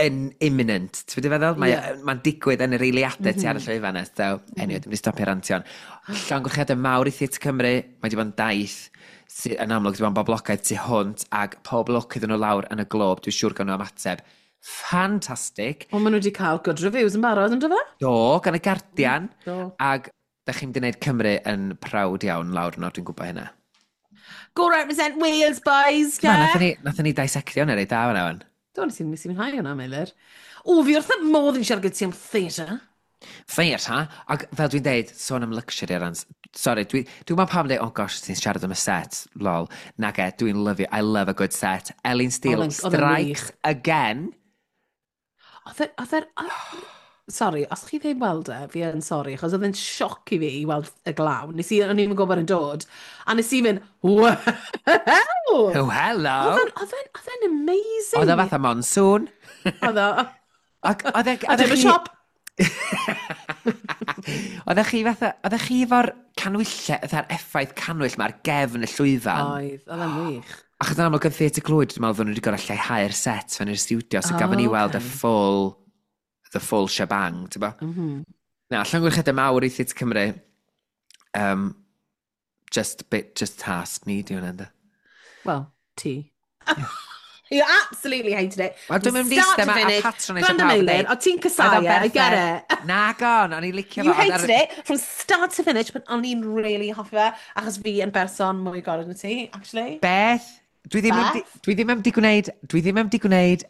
yn imminent. Ti'n mynd i feddwl? Mae, Mae'n digwydd yn yr eiliadau ti ar y llwyfan yna. So, anyway, dwi'n mynd i stopio rantio'n. Llongyfarchiadau mawr i Theatr Cymru. Mae wedi bod yn daith sydd yn amlwg wedi bod yn boblogaidd tu hwnt ac pob lwc iddyn nhw lawr yn y Globe. Dwi'n siŵr gan nhw ymateb. Ffantastig. Ond maen nhw wedi cael good reviews yn barod, yn do fe? Do, gan y Guardian. Do. Ac da chi'n mynd i wneud Cymru yn proud iawn lawr yno, dwi'n gwybod hynna. Go represent Wales, boys, Yeah. yeah? Nathon ni dissectio hwnna reit da fan'na wan. Do, nes i mwynhau hwnna, Meilir. O, fi wrth y modd yn siarad gyda ti am theatre. Theatre, ac fel dwi'n deud, sôn am luxury ar ran. Sorry, dwi'n meddwl pam dweud, "Oh gosh, ti'n siarad am y set, lol." Nage, dwi'n lyfio, I love a good set. Elin Steele Oedd e'n strikes wych. again. Oedd e'n... Sorry, os chi ddim weld e, fi yn sorry, achos oedd e'n sioc i fi i weld y glaw. Nes i, o'n i'n gwybod yn dod, a nes i fynd, "Wow!" Oh, hello! Oedd e'n amazing. Oedd o fatha monsoon. Oedd o. Ac oedd e... A dim y siop. Oeddech chi fatha, oeddech chi efo'r canwyllau, fatha'r effaith canwyll ma ar gefn y llwyfan? Oedd, oedd e'n wych. Achos yn amlwg yn Theatr Clwyd, dwi'n meddwl fod nhw wedi gorau lleihau'r set fan i'r studio, so gafon ni weld y full shebang, ti'n bo? Na, llongyfarchiadau mawr i Theatr Cymru. Just, bit, just taste ni, di hwnna, ynddo? Well, ti. You absolutely hated it. Wel, dwi'n mynd i Start eistedd to yma a finish. patronisio Gwrando, pawb yn Meilir, deud, o ti'n casau "Oedd o'n e, I get berffaith." it. Nagon, o'n i'n licio You fo. Ond hated it from start to finish, but o'n i'n really hoffi fe, achos fi yn berson mwy gorau na ti, actually. Beth? Dwi ddim, am di, Beth? dwi ddim am di gwneud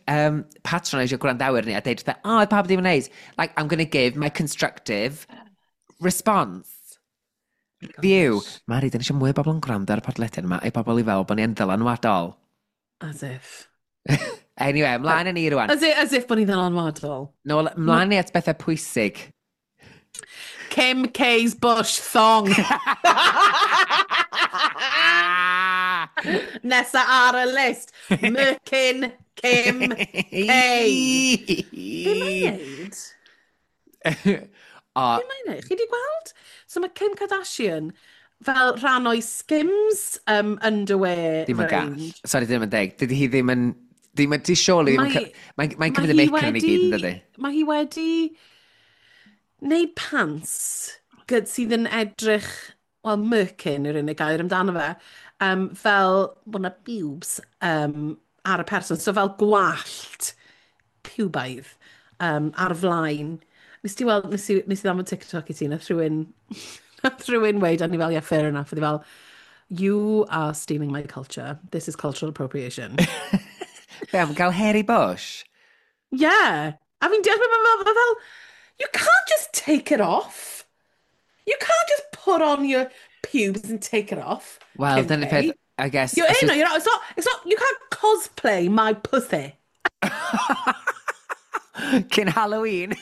patronisio gwrandawyr ni a deud, fatha, "Oh, oedd pawb ddim yn neis." Like, I'm going to give my constructive response. Review. Mari, dyn ni eisiau mwy o bobl yn gwrando ar y podlediad yma, i bobl i fel bod ni yn ddylanwadol. As if. Anyway, ymlaen â ni rwan. As if bod ni'n ddylanwadol. Nôl, ymlaen ni at bethau pwysig. Kim K's Bush thong. Nesa ar y list. Merkin Kim K. Be mae'n neud? O, Be mae'n neud? Chi di gweld? So mae Kim Kardashian fel rhan o'i Skims underwear Ddim yn gall. range. Sorry, ddim yn deg. Dydy hi ddim yn... Ddim yn... Di surely ddim yn... Mae'n cymryd y Mae hi mic yn i gyd, yn dydy? Mae hi wedi wneud pants gyd sydd yn edrych, wel, merkin yw'r unig gair amdano fe, fel bod yna pubes ar y person, so fel gwallt pubaidd ar flaen. Nes ti weld, nes i ddangos TikTok i ti, nath rhywun weud, a ni fel, "Yeah, fair enough." Oedd hi fel, "You are stealing my culture. This is cultural appropriation." Be, am gael hairy bush? Yeah. A fi'n deall beth mae'n fel, mae fel, you can't just take it off. You can't just put on your pubes and take it off. Wel, Kim dyna'r K. peth, I guess. You're os in, wyt- you're not, it's not, you can't cosplay my pussy. Cyn Halloween.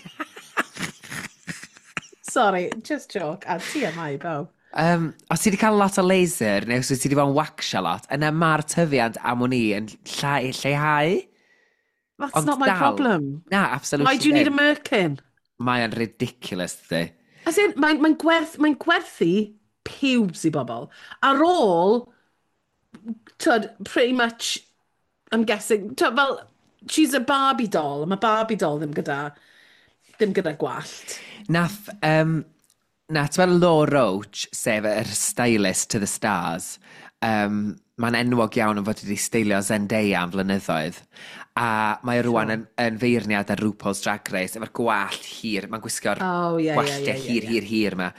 Sorry, just joke. A TMI, bawb. Os ti wedi cael lot o laser, neu os ti wedi bod yn waxio lot, yna mae'r tyfiant am wn i yn lleihau. That's Ond not my dal, problem. Na, absolutely Why do you need a ddim. merkin? Mae o'n ridiculous, dydy. As in, mae gwerthu pubes i bobl. Ar ôl, twyd, pretty much, I'm guessing, twyd, fel, she's a Barbie doll. Mae Barbie doll ddim gyda gwallt. Na, ti'n meddwl Law Roach, sef yr stylist to the stars, mae'n enwog iawn yn fod wedi steilio Zendaya am flynyddoedd. A mae o rwan yn feirniad ar RuPaul's Drag Race, efo'r gwallt hir, mae'n gwisgo'r Oh, yeah, gwalltiau hir, hir, hir yma.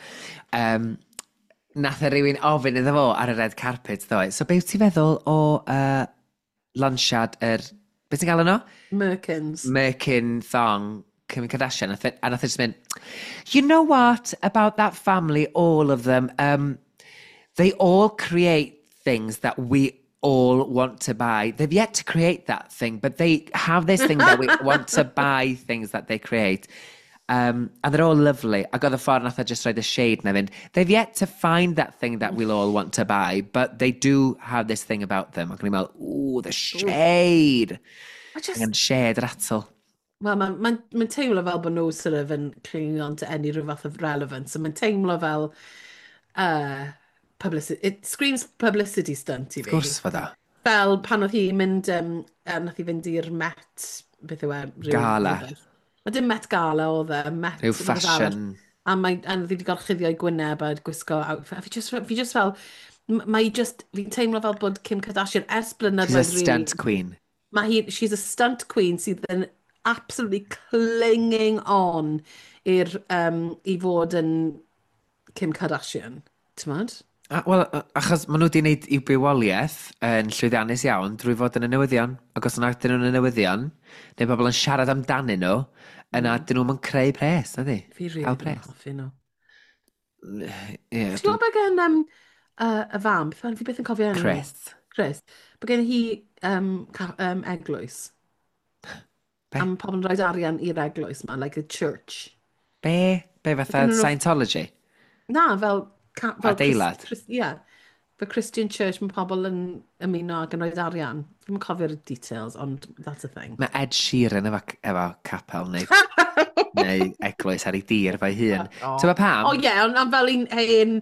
Nath e rywun ofyn iddo fo ar y red carpet ddoe. So be wyt ti'n feddwl o lansiad yr... Be ti'n gael yno? Merkins. Merkin thong Kim Kardashian. A nath e just mynd, "You know what about that family, all of them, they all create things that we all want to buy. They've yet to create that thing, but they have this thing that we want to buy things that they create. And they're all lovely." Ac oedd y ffordd nath o just roid y shade na fynd, "They've yet to find that thing that we'll all want to buy, but they do have this thing about them." Ac o'n i'n meddwl, "Ooh, the shade." I just, Angen shade rattle. Wel, mae'n ma teimlo fel bod nhw sort of yn clinging on to any rhyw fath of relevance. So mae'n teimlo fel publicity, it screams publicity stunt i fi. Wrth gwrs fod o. Fel pan oedd hi'n mynd, nath hi fynd i'r Met, beth yw e? Gala. Rhywbeth. Mae dim Met Gala oedd e, Met Rhyw rhywbeth arall. fashion. A nath hi wedi gorchuddio ei gwyneb a gwisgo outfit. A fi just fel, mae just, fi'n teimlo fel bod Kim Kardashian ers She's a blynyddoedd really, stunt queen. Mae hi, she's a stunt queen sydd yn absolutely clinging on i fod yn Kim Kardashian. T'mod? A, wel, achos maen nhw wedi gwneud i'w bywoliaeth yn llwyddiannus iawn drwy fod yn y newyddion. Ac os yna dyn nhw'n y newyddion, neu bobl yn siarad amdanyn nhw, yna dyn nhw'n creu pres, na di? Fi really Cael ddim yn pres. hoffi nhw. Ie, Ti'n gwybod bod gen y fam, beth fi byth yn cofio enw hi? Chris. Chris. Bod gen hi eglwys. Be? A mae pobl yn rhoi arian i'r eglwys ma, like a church. Be? Be fatha Gynnon Scientology? Na, fel Adeilad? Ie. Fel Christian church, mae pobl yn ymuno ac yn rhoi arian. Fi'n cofio'r details, ond that's a thing. Mae Ed Sheeran efo capel neu eglwys ar ei dir fo'i hun. Ti'n gwybod pam? O ie, ond fel un hen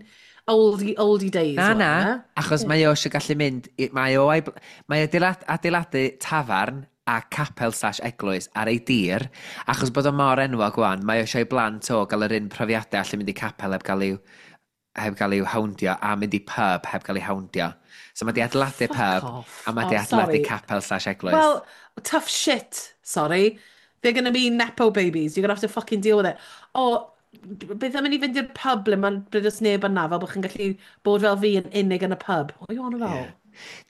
oldie days. Na, oedd na, e? Achos mae o eisiau gallu mynd, mae o, mae adeiladu tafarn a capel/eglwys ar ei dir, achos bod o mor enwog wan, mae o eisiau ei blant o gael yr un profiadau allu mynd i capel heb gael i'w houndio a mynd i pub heb gael ei houndio. So mae di adeiladu Fuck pub off. a mae di Oh, adeiladu sorry. capel/eglwys. Well, tough shit, sorry. They're going to be nepo babies. You're going to have to fucking deal with it. O, beth am i ni fynd i'r pub ble does neb yna, fel bod chi'n gallu bod fel fi yn unig yn y pub? What are you on about? Ie.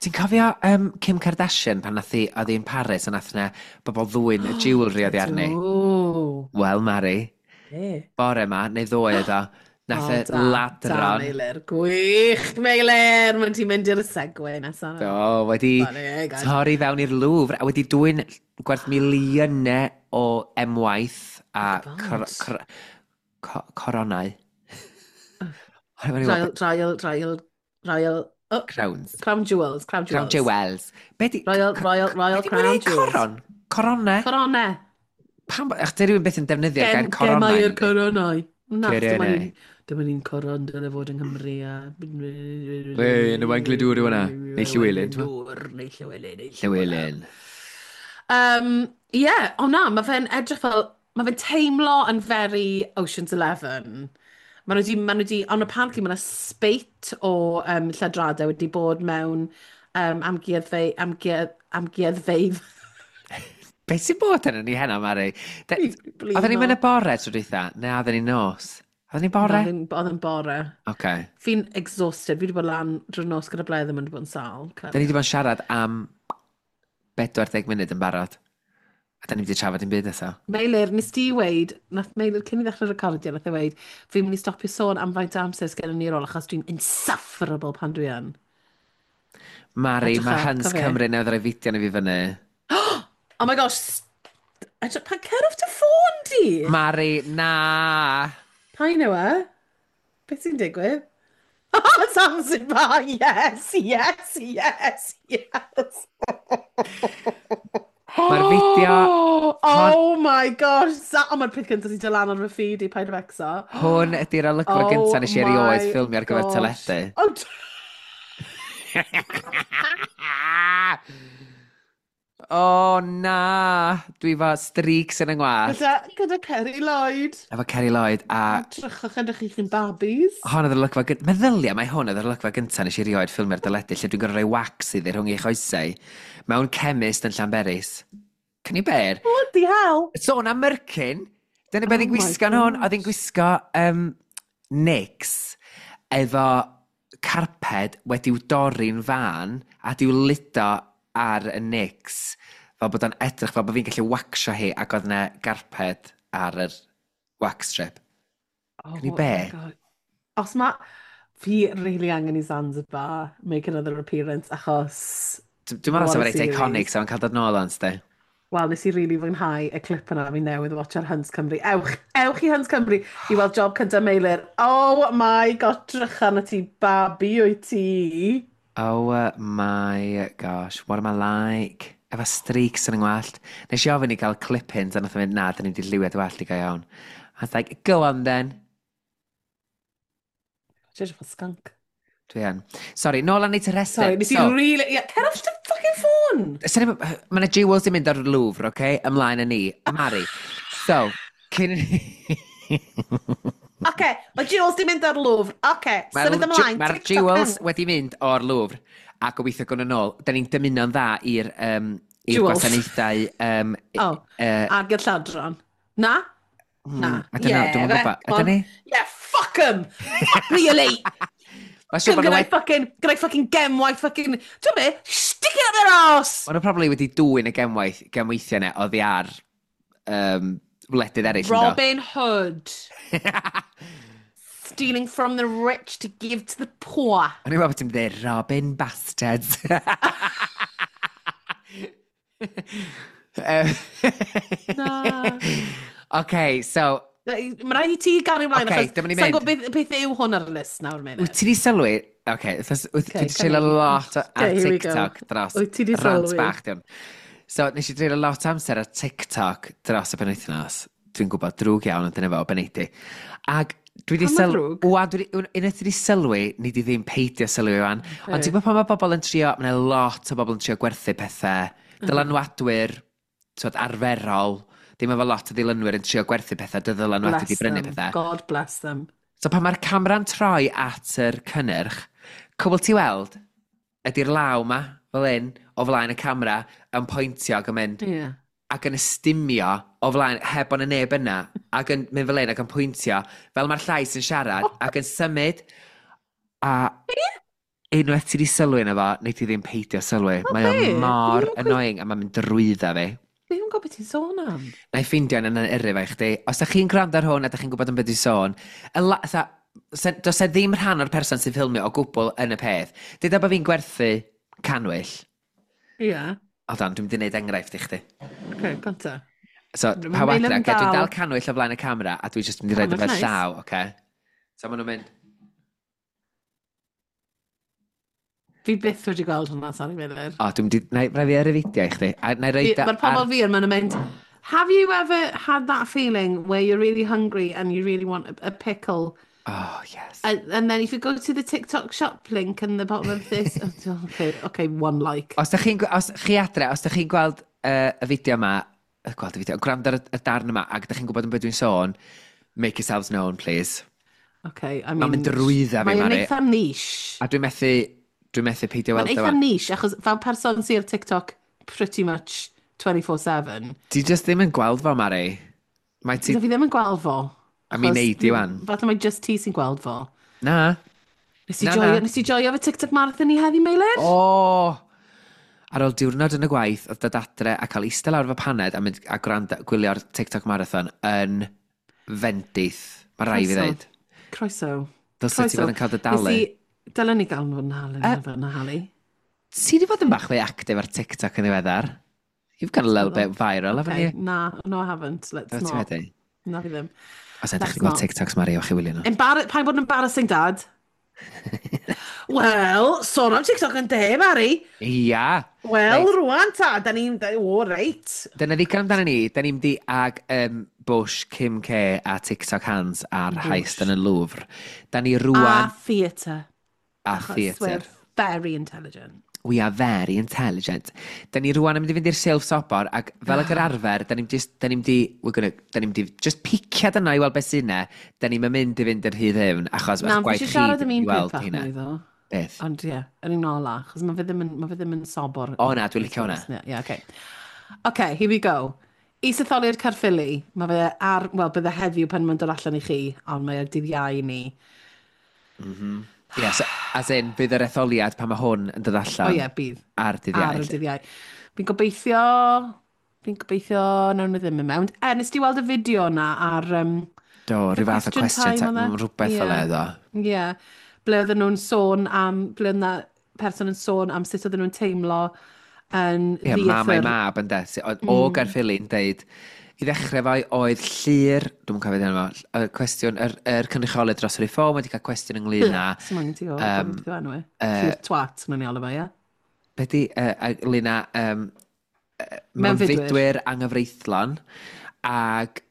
Ti'n cofio Kim Kardashian pan nath hi, oedd hi'n Paris a nath na bobl ddwyn y jewellery oddi arni? Do. Wel, Mari, Be? bore ma, neu ddoe oedd o, nath O, y da, da, ladron, Meilir. Gwych, Meilir! Mae'n ti'n mynd i'r segue nesaf. Do, wedi Funny, guys. torri fewn i'r Louvre a wedi dwyn gwerth miliynau o emwaith a Oh, cor God. coronau. Royal, royal, royal, royal, oh, Crowns. Crown jewels, crown jewels. Crown jewels. Be di Royal, royal, royal Be di crown mwyn jewels. coron? Coronau? Coronau. Pam, ach, di rhywun beth yn defnyddio'r gair coronau? Gemau'r nadi? coronau. Na, dyma Coronau. ni'n coron dyle fod yng Nghymru a Wei, yn Owain Glyndŵr yw hwnna. Neu Llywelyn, t'mo'? Glyndŵr, neu Llywelyn. Neu Llywelyn. Yeah, o na, mae fe'n edrych fel, mae fe'n teimlo yn very Ocean's Eleven. Mae nhw wedi, ond apparently mae yna spate o lladradau wedi bod mewn amgueddfeydd. Be sy'n bod yn ni heno, Mari? Blino. Oedden ni'n mynd y bore tro dwytha? Ne, oedden ni nos? Oedden ni bore? Oedd yn bore. Oce. Fi'n exhausted. Fi wedi bod lan drwy'r nos gyda Bledd yn mynd bod yn sâl. Da ni wedi bod yn siarad am 40 munud yn barod. A da ni wedi trafod dim byd eto. Meilir, nes di weid, nath Meilir cyn i ddechrau recordio, nath e weid, fi'n mynd i stopio sôn am faint o amser sgen ni ar ôl, achos dwi'n insufferable pan dwi yn. Mari, Edrych mae ar, Hans cofio. Cymru newydd roi fideo ni fi fyny. Oh my gosh, edrych, pan cer off dy ffôn di? Mari, na! Pa un yw e? Beth sy'n digwydd? Zanzibar, yes, yes, yes, yes. Mae'r fideo. Oh my gosh. Oh, mae'r peth cyntaf sy'n dod lan ar fy feed i, paid â becso. Hwn ydy'r olygfa Oh gyntaf nes i erioed my ffilmio ar gyfer gosh. teledu. Oh, O na! Dwi efo streaks yn 'y ngwallt. Gyda Kerry Lloyd. Efo Kerry Lloyd a Edrychwch, edrych i chi'n babis. Hon oedd yr olygfa gyntaf. Meddylia mai hwn oedd yr olygfa gyntaf nes i erioed ffilmio'r deledu lle dwi'n gorfod rhoi wax iddi rhwng ei choesau mewn chemist yn Llanberis. Can you bear? Bloody hell! Sôn am merkin, dyna beth Oh hi'n my gwisgo yn hwn. Oedd hi'n gosh. gwisgo Nix efo carped wedi'w dorri'n fan a di'w ludo ar y Nix fel bod o'n edrych fel bod fi'n gallu waxio hi ac oedd yna garped ar yr wax strip. Can you Oh my bear? God. Os ma... Fi really angen i Zanzibar make another appearance achos. Dwi'n meddwl What sef a reit series. iconic, so yn cael dod nôl o'n sti. Wel, nes i really fwynhau y clip yna fi newydd watch ar Huns Cymru. Ewch, ewch i Huns Cymru i weld job cyntaf Meilir. Oh my God, drychan y ti babi wyt ti. Oh my gosh, what am I like? Efo streaks yn 'y ngwallt. Nes i ofyn i gael clip-ins a nath o fynd, na, dyn ni'n di lliwio dy wallt i go iawn. I was like, go on then. Ti'n edrych fel skunk. Dwi yn. Sorry, nôl â ni at y rhestr. Sorry, nes i So, really. Yeah, cer off dy fucking ffôn! Mae yna jewels yn mynd ar y Louvre, oce? Okay? Ymlaen â ni. Mari. So, cyn. Oce, mae jewels di mynd ar Louvre. Oce, Mae'r symud ymlaen. Mae'r TikTok jewels hen. wedi mynd o'r Louvre a gobeithio gwna nôl. Da ni'n dymuno'n dda i'r Jewels. gwasanaethau. Oh, ag i'r lladron. Na? Na. I don't know, dwi'm yn gwybod. come on. Ydyn ni? Yeah, fuck 'em! Fuck really! Mae'n siŵr bod nhw Gyda'i wedi. fucking, gyda'i fucking gemwaith fucking. Ti'n be? Stick it up their arse! Maen nhw probably wedi dwyn y gemwaith, gemweithiau yna oddi ar wledydd eraill, yndo? Robin Hood. Stealing from the rich to give to the poor. O'n i'n meddwl bod ti'n dweud Robin Bastards. Na. OK, so, Mae rhaid i ti gario ymlaen, Ocê, achos dyma ni'n sa'n mynd. gwybod beth yw hwn ar y list nawr, wyt munud. ti di sylwi? OK, wyt ti Ocê, wedi treulio come on. lot ar Okay, here we go. TikTok dros Wyt ti 'di rant sylwi? bach, diwn. So, nes i dreulio lot o amser ar TikTok dros y penwythnos. Dwi'n gwybod, drwg iawn, ond dyna fo, beneidi. Ac dwi wedi Pam ma'n sylwi. ddrwg? Wan, dwi 'di- unwaith dwi wedi sylwi, ni di ddim peidio sylwi wan. Ond ti'n gwybod pan mae bobl yn trio, mae yna lot o bobl yn trio gwerthu pethau, dylanwadwyr, t'wod, arferol, ddim efo lot o ddilynwyr yn trio gwerthu pethau, dy ddylanwadu Bless di brynu them. pethau. God bless them. So pan mae'r camera'n troi at yr cynnyrch, cwbl ti weld ydy'r law ma, fel un, o flaen y camera, yn pointio ac yn mynd, ac yn ystumio o flaen, heb ond y neb yna, ac yn mynd fel un ac yn pwyntio, fel mae'r llais yn siarad, ac yn symud, a unwaith ti di sylwi yna fo, neu ti ddim peidio sylwi. Mae o be? mor Dwi'm yn annoying, a mae'n mynd drwydda fi. Fi ddim yn gwybod beth ti'n sôn am. Na i ffeindio yn yrru fe i chdi. Os ydych chi'n gwrando ar hwn a ydych chi'n gwybod am beth dwi'n sôn, y does e ddim rhan o'r person sy'n ffilmio o gwbl yn y peth. Deuda bod fi'n gwerthu cannwyll. Ie. Yeah. Hold on, dwi'n mynd i wneud enghraifft i chdi. Oce, gonta. So, Mae pawb Meilir adre, yn okay, dwi'n dal. dal cannwyll o flaen y camera a dwi jyst mynd i roid o Cannwyll fel nice. llaw, oce? So maen nhw'n mynd, Fi byth wedi gweld hwnna, sorry, Meilir. o, dwi'n mynd i, na i rhaid fi ar y fideo i chdi. A na i roid o Mae'r pobl fi yn maen nhw'n mynd, have you ever had that feeling where you're really hungry and you really want a pickle? Oh, yes. And then if you go to the TikTok shop link in the bottom of this, oh, okay, one like. Os da chi'n, os chi adre, os da chi'n gweld y fideo yma, gweld y fideo, gwrando ar y darn yma, ac da chi'n gwybod am beth dwi'n sôn, make yourselves known, please. Okay, I mean. Mae'n mynd drwydda fi, Mae'n Mari. eitha niche. A dwi'n methu peidio Mae'n weld o. eitha niche, achos fel person sydd ar TikTok pretty much 24/7. Ti just ddim yn gweld fo, Mari. Mae ti. Ti... Fi ddim yn gweld fo. A mi achos neud di wan. Falle mae just ti sy'n gweld fo. Na. Nes i Na, joio, na. nes i joio fy TikTok marathon i heddi, Meilir? O! Ar ôl diwrnod yn y gwaith, oedd dod adre a cael eistedd lawr fy paned a mynd a gwrando, gwylio'r TikTok marathon yn fendith. Mae rai fi Croeso. ddeud. Croeso. Dylse ti fod yn cael dy dalu. Nes i. Dylen ni gael fod yn halu, fod yn halu. Ti wedi bod yn bach fwy actif ar TikTok yn ddiweddar? You've got a little bit viral, haven't Okay, you? na, no, I haven't. Let's Be ti not. wedi? Na fi ddim. Os ydych Let's chi'n gweld not. TikToks, Mari, o'ch chi wylio nhw. Pa'n bod yn embarrassing, Dad? Wel, sôn am TikTok yn de, Mari. Ia. Wel, Reit. rwan ta, da ni'n... O, reit. Dyna ddigon amdano ni. Da ni'n mynd i ag Bush, Kim K a TikTok Hands a'r heist Bush. yn y Louvre. Da ni A rwan theatre. a Achos theatr. we're very intelligent. We are very intelligent. Da ni rwan yn mynd i fynd i'r silff sobor, ac fel ag yr arfer, da ni'n just, da ni'n di, we're gonna, da ni'n di just piciad yna i weld beth sy'n yna, da ni'n mynd i fynd yr hyd hyn, achos Na, eich fi gwaith eisiau chi siarad am ddim un i peth weld bach hynna. mwy ddo. Beth? Ond ie, yr un ola, achos mae fe ddim yn sobor. O na, dwi'n licio hwnna. Ie, yeah, okay. Okay, here we go. Isetholiad Caerffili, mae fe ar, wel, bydde heddiw pan mae'n dod allan i chi, ond mae ar dydd Iau i ni. Yes, as in, bydd yr etholiad pan mae hwn yn dod O allan ie, bydd. ar dydd Iau. Ar y dydd Iau. Fi'n gobeithio nawn nhw ddim yn mewn. E, nes ti weld y fideo na ar Do, rhyw fath o Question question Time time, oedd e? rhywbeth fel Ie. e, ddo. Ie, yeah, ble oedden nhw'n sôn am, ble oedd 'na person yn sôn am sut oedden nhw'n teimlo yn Ie, mam a'i ddieithr. mab yn de. O Gaerffili'n deud, i ddechrau fo oedd Llyr, dwi'n cofio enw fo, y cwestiwn, yr cynrychiolydd dros y Reform wedi cael cwestiwn ynglyn â, Sy'n moyn i ti o, beth yw enw e? Llyr twat, mae'n ei alw fe, ie? be di, ynglyn â Mewnfudwyr. mewnfudwyr anghyfreithlon, ac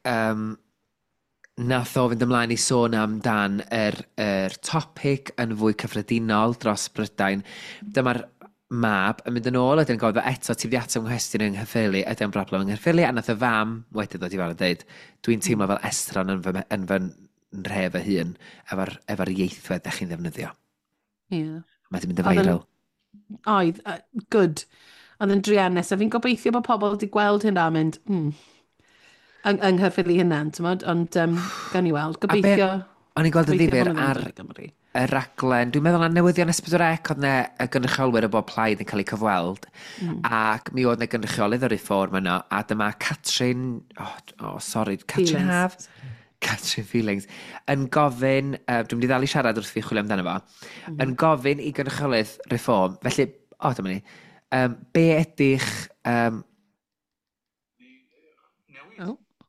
nath o fynd ymlaen i sôn amdan yr topic yn fwy cyffredinol dros Brydain. Dyma'r mab yn mynd yn ôl, wedyn gofio eto, ti wedi ateb nghwestiwn yng Nghaerffili, ydy o'n broblem yng Nghaerffili, a nath y fam wedyn ddod i fewn a dweud, "Dwi'n teimlo fel estron yn fy nhre fy hun, efo'r ieithwedd ddech chi'n ddefnyddio." Mae wedi mynd yn viral. Oedd, good. Oedd yn druenus, a fi'n gobeithio bod pobl wedi gweld hynna a mynd, yng Nghaerffili hynna, ti'n ond gawn ni weld. Gobeithio. O'n i'n gweld yn Gobeithio ddifyr bod nhw ddim ar yn dod i Gymru. y raglen, dwi'n meddwl na newyddion S4C oedd 'na y gynrychiolwyr o bob plaid yn cael eu cyfweld, ac mi oedd 'na gynrychiolydd o'r Reform yno, a dyma Catrin, oh, sorry, Catrin Feelings. Haf? Catrin Feelings, yn gofyn, dwi'n mynd i ddal i siarad wrth fi chwilio amdano fo, yn gofyn i gynrychiolydd Reform, felly, o, oh, dyma ni,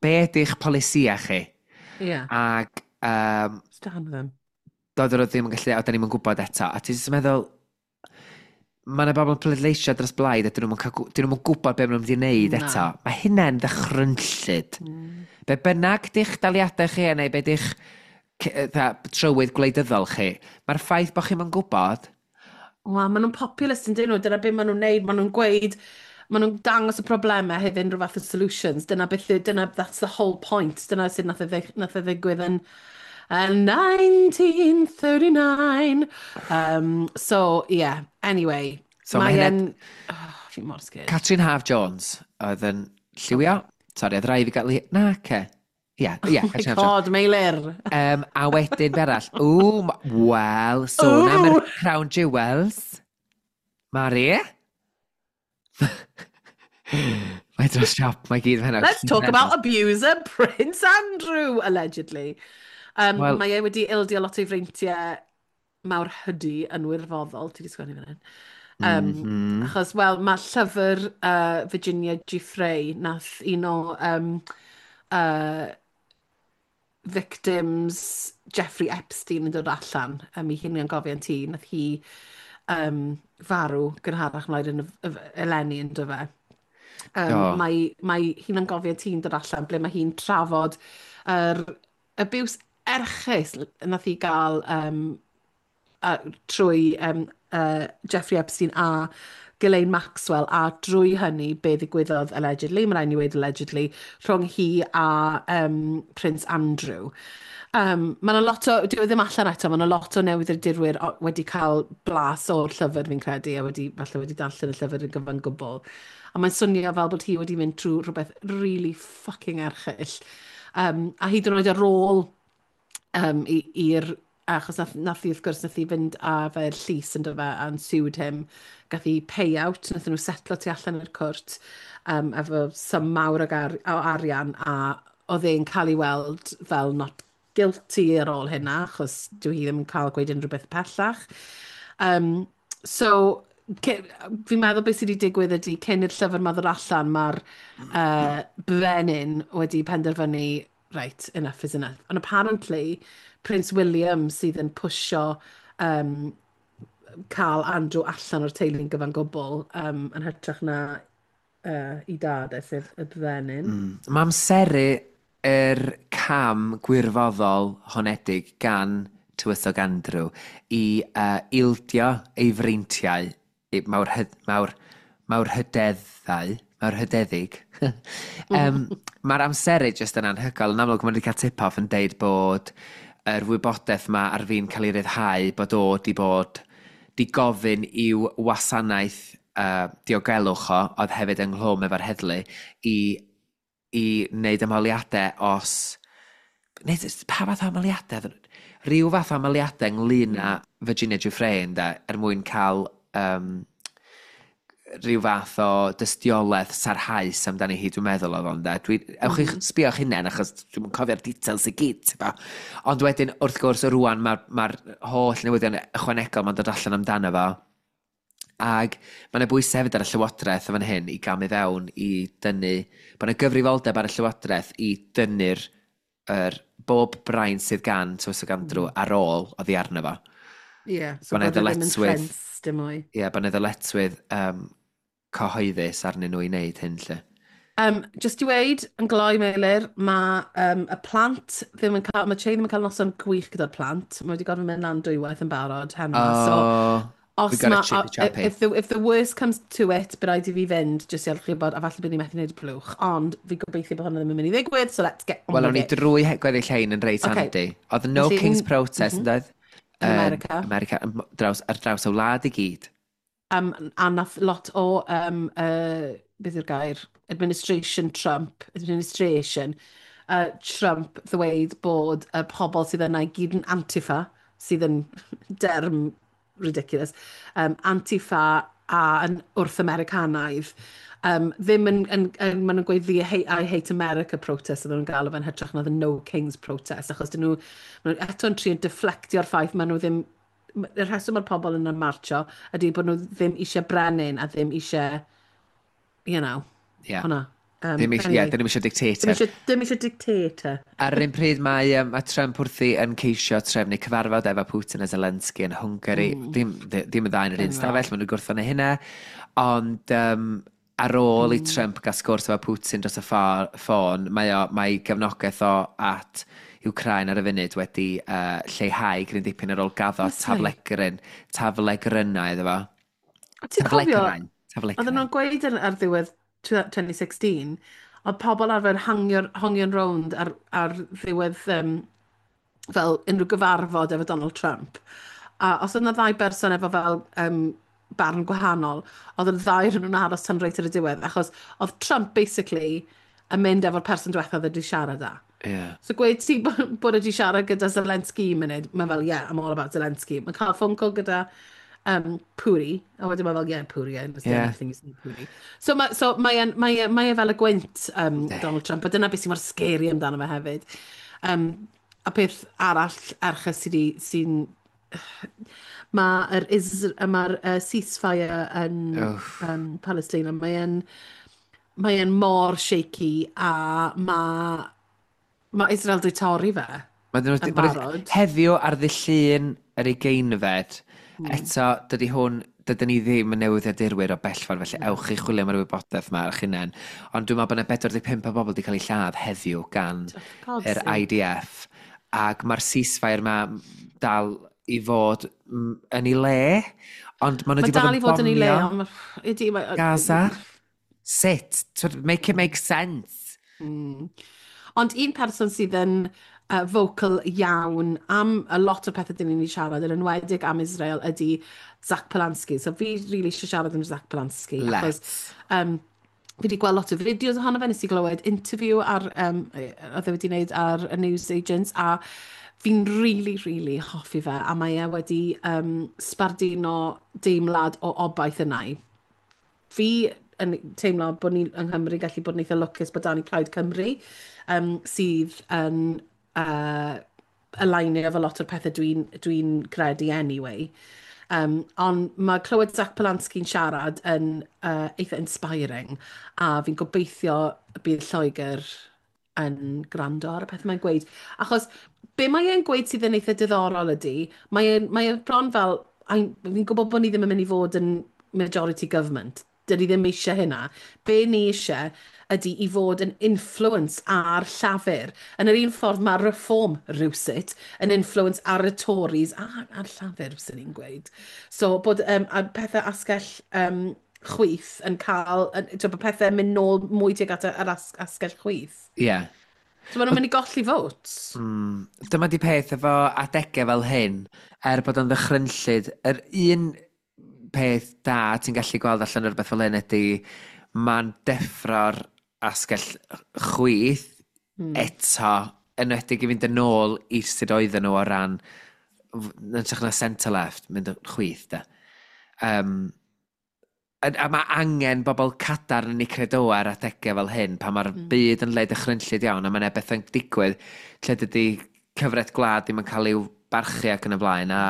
be ydy'ch polisia chi? Ac Stand with them. Doedd nhw ddim yn gallu, a da ni'n gwybod eto. A ti'n jyst yn meddwl, mae yna bobl yn pleidleisio dros blaid a dyn nhw'n dyn nhw'm yn gwybod beth maen nhw'n mynd i wneud Na. eto. Mae hynna'n ddychrynllyd. Be bynnag di'ch daliadau chi neu be di'ch trywydd gwleidyddol chi, mae'r ffaith bod chi'n gwybod, Wel, maen nhw'n populist yn dyn nhw, dyna beth maen nhw'n neud, maen nhw'n gweud, maen nhw'n dangos y problemau hefyd unrhyw fath o solutions. Dyna beth, dyna, that's the whole point. Dyna sut nath e ddigwydd yn 1939. So, yeah, anyway. So mae mae hynna- e'n... Oh, fi'n mor scared. Catrin Haf Jones oedd yn lliwio. Sorry, oedd rhaid fi gael... Na, ce. Ie, Oh my Catrin Haf Jones. God, Meilir. A wedyn be arall? Ww, wel, sôn am yr Ww. Crown Jewels. Mari? Mae dros siop, mae gyd fan hynna. Let's talk about abuser Prince Andrew, allegedly. Wel- Mae e wedi ildio lot o'i freintiau mawr hydi yn wirfoddol. Ti wedi sgwennu fan hyn. Achos, wel, mae llyfr Virginia Giuffre nath un o victims Jeffrey Epstein yn dod allan i hunangofiant ti. Nath hi farw gynharach mlaen yn eleni yn dyfe. Do. Mae hunangofiant hi'n dod allan ble mae hi'n trafod yr abuse erchyll nath hi gael trwy Jeffrey Epstein a Ghislaine Maxwell a drwy hynny be ddigwyddodd allegedly, mae rhaid ni weud allegedly, rhwng hi a Prince Andrew. Mae yna lot o, dyw e ddim allan eto, mae yna lot o newyddiadurwyr wedi cael blas o'r llyfr fi'n credu a wedi, falle wedi darllen y llyfr yn gyfan gwbl. A mae'n swnio fel bod hi wedi mynd trwy rhywbeth really fucking erchyll. A hyd yn oed ar ôl i'r achos nath hi, wrth gwrs, nath hi fynd â fe'r llys yn dyfe and sued him. Gath hi payout, nath nhw setlo tu allan i'r cwrt efo sum mawr o arian a oedd e'n cael ei weld fel not guilty ar ôl hynna, achos dyw hi ddim yn cael gweud unrhyw beth pellach. So, fi'n meddwl beth sydd wedi digwydd ydy, cyn i'r llyfr ma ddod allan, mae'r brenin wedi penderfynu, "Right, enough is enough." And apparently, Prince William sydd yn pwsio cael Andrew allan o'r teulu'n gyfan gwbl yn hytrach na i dad e, sef y brenin. Mae amseru yr cam gwirfoddol honedig gan Tywysog Andrew i ildio ei freintiau mawr, mawr, mawr hydeddau, mawr hydeddig. Mae'r amseru jyst yn anhygoel. Yn amlwg, mae wedi cael tip-off yn deud bod yr wybodaeth ma ar fin cael ei ryddhau, bod o di bod di gofyn i'w wasanaeth diogelwch o, oedd hefyd ynghlwm efo'r heddlu, i wneud ymholiadau os... Neu, pa fath o ymholiadau? Rhyw fath o ymholiadau ynglyn â Virginia Giuffre, ynde, er mwyn cael rhyw fath o dystiolaeth sarhaus amdani hi, dwi'n meddwl oedd o'n de. Ewch i'ch sbio eich hunain, achos dwi'n cofio'r details i gyd, ti'n. Ond wedyn, wrth gwrs, rwan mae'r holl newyddion ychwanegol mae'n dod allan amdano fo. Ag mae yna bwysau hefyd ar y Llywodraeth o fan hyn i gamu fewn i dynnu, bod yna gyfrifoldeb ar y Llywodraeth i dynnu'r bob brain sydd gan Tywysog Andrew ar ôl oddi arno fo. Ie, yeah, so bod e ddim yn ffens dim mwy. Ie, yeah, bod yna ddyletswydd cyhoeddus arnyn nhw i wneud hyn, lle. Just i weud, yn gloi, Meilir, mae y plant ddim yn cael, mae Che ddim yn cael noson gwych gyda'r plant. Mae wedi gorfod mynd lan dwywaith yn barod heno. Oh, so, os ma, if the worst comes to it, bydd rhaid i fi fynd, jyst i chi bod, a falle bydd ni'n methu gwneud y blwch. Ond fi gobeithio bod hwnna ddim yn mynd i ddigwydd, so let's get on. Wel, o'n i drwy gweddill hein yn reit handi. Oedd No Felly, Kings Protest, yn doedd? Yn America. America, ar draws y wlad i gyd. A nath lot o, beth yw'r gair, administration Trump ddweud bod y pobl sydd yna i gyd yn Antifa, sydd yn derm ridiculous, Antifa a yn wrth-Americanaidd. Ddim yn maen nhw'n gweud the I Hate America protest oedden nhw'n galw fe'n hytrach na the No Kings protest, achos dyn nhw, maen nhw eto'n trio deflectio'r ffaith maen nhw ddim, y rheswm mae'r pobl yn marcho ydy bod nhw ddim eisiau brenin a ddim eisiau, hwnna. Ddim eisiau, anyway, yeah, ddim eisiau dictator. Ddim eisiau dictator. Ar yr un pryd mae Trump wrthi yn ceisio trefnu cyfarfod efo Putin a Zelensky yn Hungary. Ddim y ddau yn yr un stafell, maen nhw'n gwrthod hynna. Ond ar ôl i Trump gael sgwrs efo Putin dros y ffôn, mae gefnogaeth o at Ukraine ar y funud wedi lleihau gryn dipyn ar ôl gaddo taflegrynau iddo fo. Ti'n cofio, oedden nhw'n gweud ar ddiwedd 2016, oedd pobl arfer hangio'n rownd ar ddiwedd fel unrhyw gyfarfod efo Donald Trump. A os oedd yna ddau berson efo fel barn gwahanol, oedd y ddau rhywun nhw'n aros tan reit ar y diwedd, achos oedd Trump basically yn mynd efo'r person diwethaf oedd wedi siarad â. So gweud ti bod wedi siarad gyda Zelensky un munud, mae fel, "Yeah, I'm all about Zelensky." Mae'n cael phone call gyda Puri, a wedyn mae fel, "Yeah, Puri, I understand everything you say, Puri." So mae e fel y gwynt, Donald Trump, a dyna beth sy'n mor scary amdano fe hefyd. A peth arall erchyll sy'n mae'r ceasefire yn Palestina, mae e'n mor shaky a mae Israel wedi torri fe yn barod. Heddiw ar ddydd Llun yr 20fed, eto, dydyn ni ddim yn newyddiadurwyr o bell ffordd, felly ewch i chwilio am yr wybodaeth yma ar eich hunain. Ond dwi'n meddwl bod yna 45 o bobl wedi cael eu lladd heddiw gan God's yr sake. IDF. Ac mae'r ceasefire yma dal i fod yn ei le, ond maen nhw Mae wedi bod dal yn i fod yn ei le, bomio ond ydy, Gaza. Sut? Twyd, make it make sense. Ond un person sydd yn vocal iawn am a lot o pethau dyn ni'n ei siarad, yn enwedig am Israel, ydy Zach Polanski. So fi really eisiau siarad am Zach Polanski. Let's. Achos, fi wedi gweld lot o fideos ohono fe, nes i glywed interview ar, oedd e wedi wneud ar y News Agents, a fi'n really, really hoffi fe, a mae e wedi sbarduno deimlad o obaith yna i. Fi yn teimlo bod ni yng Nghymru gallu bod yn eitha lwcus bod 'da ni Plaid Cymru, sydd yn alignio efo lot o'r pethau dwi credu anyway. Ond mae clywed Zach Polanski'n siarad yn eitha inspiring, a fi'n gobeithio y bydd Lloegr yn gwrando ar y peth mae'n gweud. Achos be mae e'n gweud sydd yn eitha diddorol ydy, mae e'n bron fel, fi'n gwybod bod ni ddim yn mynd i fod yn majority government, dyn ni ddim eisiau hynna. Be ni eisiau ydy i fod yn influence ar Llafur. Yn yr un ffordd mae Reform rhywsut yn influence ar y Tories a ar Llafur, fyswn i'n gweud. So bod a pethau asgell chwith yn cael, yn, bod pethau yn mynd nôl mwy tuag at yr asgell chwith. Ie. Yeah. So maen nhw'n mynd i golli votes. Dyma di peth efo adegau fel hyn, er bod o'n ddychrynllyd, yr un peth da ti'n gallu gweld allan o'r beth fel hyn ydy mae'n deffro'r asgell chwith eto, enwedig i fynd yn ôl i sut oedden nhw o ran, yn hytrach na centre left, mynd yn chwith, da. A mae angen bobl cadarn yn eu credoau ar adegau fel hyn, pan mae'r byd yn le dychrynllyd iawn, a mae'n bethau'n digwydd lle dydy cyfraith gwlad ddim yn cael ei barchu ac yn y blaen, a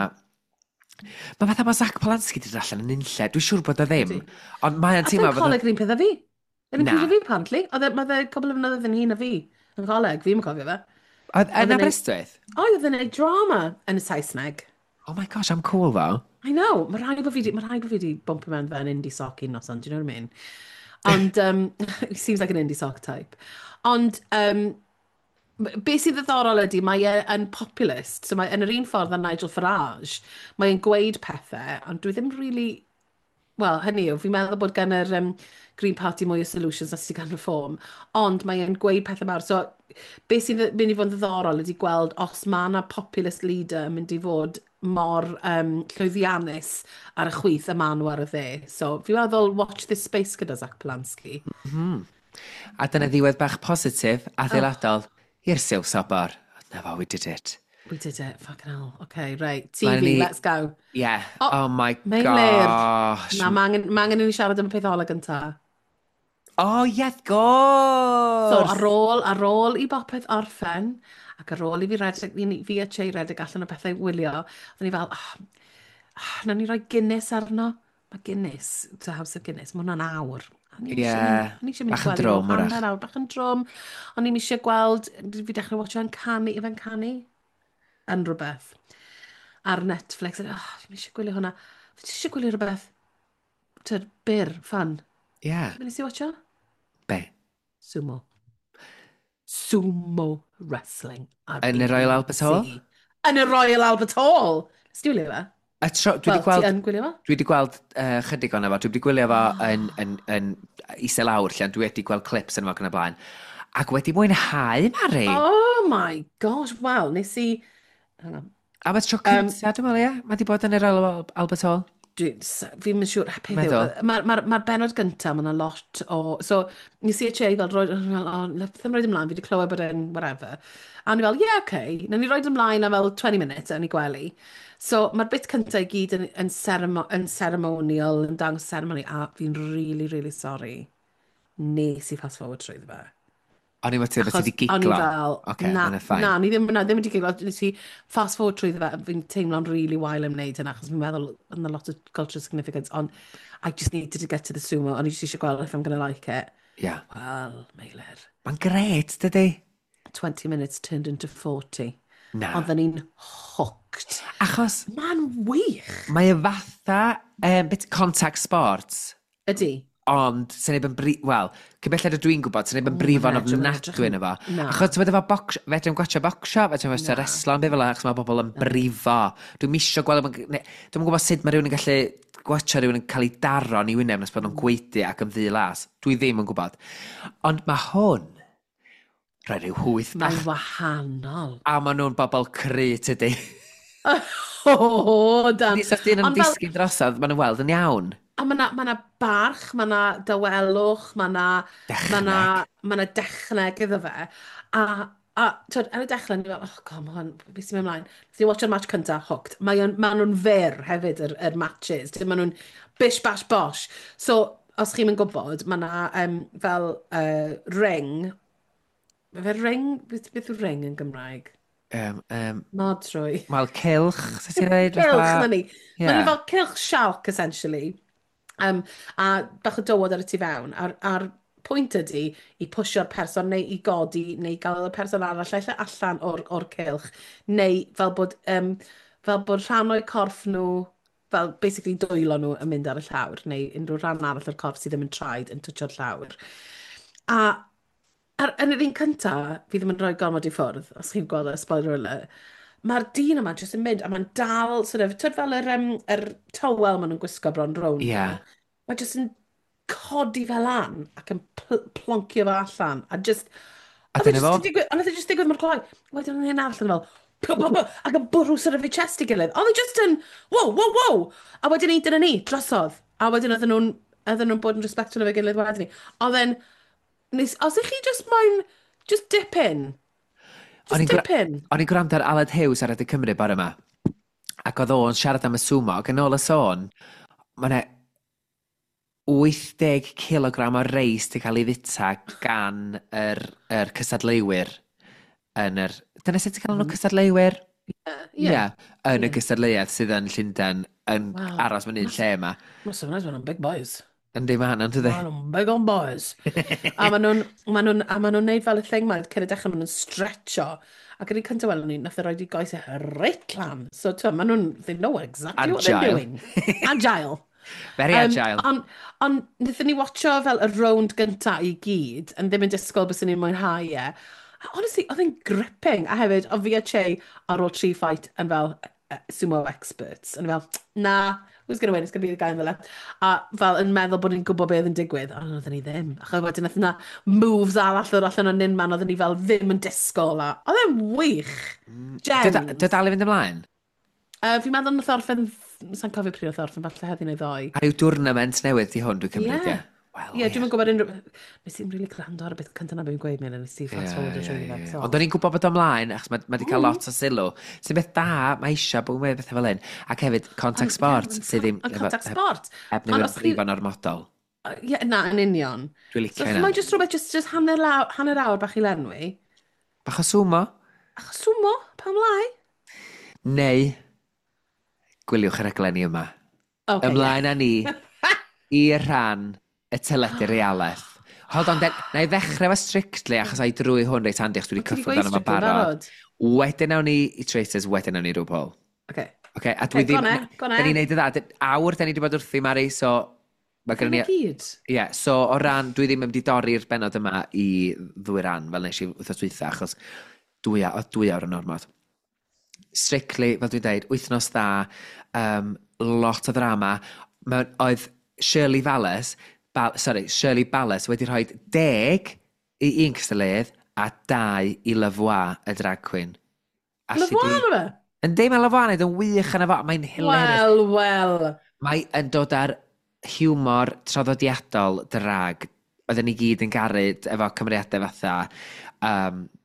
mae fatha bod Zach Polanski wedi dod allan yn unlle, dwi'n siŵr bod o ddim, ond mae'n A teimlo fe'n fatha coleg yr un peth â fi. Yr un Na. pryd â fi, apparently. Oedd e, mae fe cwbl o flynyddoedd yn hŷn na fi yn coleg, fi'n cofio fe. Oedd yn Oedd e'n neud- Aberystwyth? Oedd, oedd e'n neud drama yn y Saesneg. Oh my gosh, I'm cool though. I know, mae rhaid bod fi di bumpo mewn fe yn indie sock un noson, do you know what I mean? Ond, he seems like an indie sock type. Ond, be sydd ddiddorol ydy, mae e yn populist, so mae yn yr un ffordd â Nigel Farage, mae e'n gweud pethau, ond dwi ddim really. Wel, hynny yw, fi'n meddwl bod gan yr Green Party mwy o solutions na sydd gan Reform, ond mae e'n gweud pethau mawr. So, be sydd mynd i fod yn ddiddorol ydy gweld os mae yna populist leader yn mynd i fod mor llwyddiannus ar y chwith a maen nhw ar y dde. So, fi'n meddwl watch this space gyda Zach Polanski. A dyna ddiwedd bach positif, adeiladol, i'r Silff Sobor. Na fo, we did it. We did it, fucking hell. Okay, right. Mae TV, ni- let's go. Yeah. Oh, Oh, my Meilir. gosh. Na, mae angen, ma angen i ni siarad am y peth ola gynta. Oh, yeah, of course. So, ar ôl i bopeth orffen, ac ar ôl i fi redeg, fi a Che redeg allan o bethau wylio, oedden ni fel, oh, oh, nawn ni roi Guinness arno. Mae Guinness, to House of Guinness, mae hwnna'n awr. A o'n i'm isie o'n i eisiau mynd Bach yn i gwely drwm, mewn wrach. hanner awr, bach yn drwm. O'n i'm eisiau gweld, fi dechrau watcho yn canu, fe'n canu, yn rhywbeth. Ar Netflix. Oh, fi'n eisiau gwylio hwnna. Fi eisiau gwylio rhywbeth, tyd, byr, fun. Be nes i watcho? Be? Sumo. Sumo Wrestling ar Yn y Royal Albert Hall? BBC. Yn y Royal Albert Hall! Nes ti wylio fe? Y tro, dwi wedi Wel, gweld ti yn gwylio fe? Dwi wedi gweld chydig o'n efo. Dwi wedi gwylio fo yn isel lawr lle, ond dwi wedi gweld clips yn efo ac yn y blaen. Ac wedi mwynhau, Mari. Oh my gosh, wel, nes i. Hang on. Am y tro cyntaf, dwi'n meddwl, ie? Mae wedi bod yn yr Royal Albert Hall. Fi'n mynd siŵr, peth yw, Meddwl. mae'r ma benod gyntaf, mae yna lot o. So, nes i a Che fel, roi, fel, oh, ddim roed ymlaen, fi wedi clywed bod e'n whatever. A o'n i fel, yeah, okay. Nawn ni roed ymlaen am fel 20 minutes yn ei gwely. So, mae'r bit cyntaf i gyd yn ceremonial, yn dangos ceremony, a fi'n really, really sorry. Nes i fast forward trwy fe. O'n i'n meddwl bod ti Achos wedi o'n i giglo. fel, Oce, na, hwnna fine. na, ni ddim, na, ddim wedi giglo, nes i fast forward trwy fe, fi'n teimlo'n really wael am wneud hynna, achos fi'n meddwl yna lot o cultural significance, ond I just needed to get to the sumo, o'n i just eisiau gweld if I'm gonna like it. Wel, Meilir, Mae'n gret, dydy? 20 minutes turned into 40. Na. Oedden ni'n hooked. Achos Mae'n wych. mae e fatha bit contact sports, Ydy. ond sy'n neb yn bri... Wel, cyn belled ydw dwi'n gwybod, sy'n neb yn brifo'n ma'n edrych- ma'n edrych ofnadwy yna fo. Na. Achos ti'n efo box... Fedrwn gwatcha bocsio, fedrwn gwatcha Na. reslo, yn beth fel achos mae bobl yn brifo. Dwi'n misio gweld... Dwi'n gwybod sut mae rhywun yn gallu gwatcha rhywun yn cael ei daro yn ei wyneb nes bod nhw'n gwaedu ac yn ddu las. Dwi ddim yn gwybod. Ond mae hwn... Rhoi rhyw hwyth Mae'n bach. wahanol. A maen nhw'n bobl cry, tydi. O, dan. Nes os dyn yn Ond fel- disgyn drosodd, maen nhw'n weld yn iawn. A mae na, ma na barch, mae na dawelwch, mae na, Dechneg. ma na dechneg iddo fe. A twyd, ar y dechrau, ni fel, oh god, ma hwn, beth sy'n mynd ymlaen? Nes i watcho'r match cynta, hooked. Mae ma nhw'n fyr hefyd, yr matches. Mae nhw'n bish bash bosh. So, os chi'n mynd gwybod, mae na fel ring. Mae fe ring? Beth yw ring yn Gymraeg? Modrwy. Wel, cylch, sut ti'n dweud? Cylch, na ni. Ie. Mae ni fel cylch sialc, essentially. A bach o dywod ar y tu fewn. A'r Pwynt ydy i pwsio'r person neu i godi neu gael y person arall ella allan o'r cylch neu fel bod rhan o'i corff nhw, fel basically dwylo nhw yn mynd ar y llawr neu unrhyw rhan arall o'r corff sydd ddim yn traed yn twtsio'r llawr. A yn yr un cynta, fi ddim yn rhoi gormod i ffwrdd, os chi'n gweld y spoiler alert, mae'r dyn yma jyst yn mynd a mae'n dal, sort of, twyd fel yr towel maen nhw'n gwisgo bron rownd nhw. Mae jyst yn codi fel lan ac yn ploncio fe allan. A just A oedd e dyna jyst fo. yn digwydd, ond oedd e jyst digwydd mor gloi. Wedyn oedd hyn arall yn fel, pw, pw, pw, ac yn bwrw sort of ei chest i gilydd. Oedd e jyst yn, wow. A wedyn ni, dyna ni, drosodd. A wedyn oedden nhw'n bod yn respectful efo'i gilydd wedyn ni. Oedd e'n, os ych chi just moyn, just dip in. O'n Just i'n dip in. O'n i'n gwrando ar Aled Hughes ar Radio Cymru bore yma. Ac oedd o'n siarad am y sumo, ac yn ôl y sôn, mae yna 80 kilogram o reis di cael ei fita gan yr cystadleuwyr yn yr... Dyna sut ti'n cael nhw cystadleuwyr? Ie. Ie, yn y gystadleuaeth sydd yn Llundain yn aros mewn un lle yma. Must have nice, big boys. Yndi, ma' hynna'n dydi? Maen nhw'n big on boys. A maen nhw'n neud fel y thing ma, cyn y dechrau maen nhw'n stretcho. Ac yn un cyntaf welon ni, nath e roid i goesau reit lan. So, ti'n maen nhw'n, they know exactly what they're Agile. doing. Agile. Very agile. Ond wnaethon ni watcho fel y rownd gynta i gyd, yn ddim yn disgwyl bys ni'n mwynhau e. A honestly, oedd e'n gripping. A hefyd, o fi a Che ar ôl tri fight yn fel sumo experts. Yn fel, "Na, who's gonna win? It's gonna be the guy in the left." A fel yn meddwl bod ni'n gwybod beth yn digwydd. Ond oedden ni ddim. Achos wedyn nath yna moves arall ddod allan o'n unman, oedden ni fel ddim yn disgwyl. A oedd e'n wych. Gems. Dy dal i fynd ymlaen? Fi'n meddwl nath orffen, sa'n cofio pryd nath orffen, falle heddi neu ddoe. A rhyw tournament newydd di hwn, dwi'n cymryd, Ie. ie? Wel, Ie, dwi'n gwybod unrhyw... Nes i'n really gwrando ar y beth cyntaf na beth fi'n gweud, Meilir, nes i fast forward o trwy fe. So. Ond o'n i'n gwybod bod o ymlaen, achos mae wedi cael lot o sylw. Sy'n beth da, mae eisiau bod yn gweud bethau fel hyn. Ac hefyd, contact sport, sydd ddim Ond contact sport. Heb Ond newid os chi- brifo'n ormodol. Ie, na, yn union. Dwi'n licio So, hynna. mae'n just rhywbeth, just hanner awr bach i lenwi. Bach o sumo. Achos sumo, pam lai? Neu, gwyliwch y raglenni yma. Okay, Ymlaen â ni i'r rhan y teledu realaeth. Hold on, den, na i ddechrau efo Strictly, achos ai drwy hwn reit handi, achos dwi wedi Ti 'di cyffwrdd gweud arno fo'n Strictly yn barod. barod? Wedyn awn ni i Traitors, wedyn awn ni i RuPaul. Okay. Okay, a dwi Okay, go ddim on e, go on e. Da ni'n neud y dda. Awr da ni wedi bod wrthi, Mari, so mae gennym Dyna ni gyd. Ie, yeah, so o ran, dwi ddim yn mynd i dorri'r benod yma i ddwy ran, fel nes i wythnos dwytha, achos oedd 2 awr yn ormod. Strictly, fel dwi'n dweud, wythnos dda, lot o ddrama. Oedd Shirley Vallis, sorry, Shirley Ballas wedi rhoi 10 i un cystadleuydd a 2 i Lavoie, y drag queen. Alli Lavoie di- yna fe? Yndi, mae Lavoie yn neud yn wych yna fo, mae'n hilarious. Wel, wel. Mae yn dod ar hiwmor traddodiadol drag oedden ni gyd yn garu efo cymeriadau fatha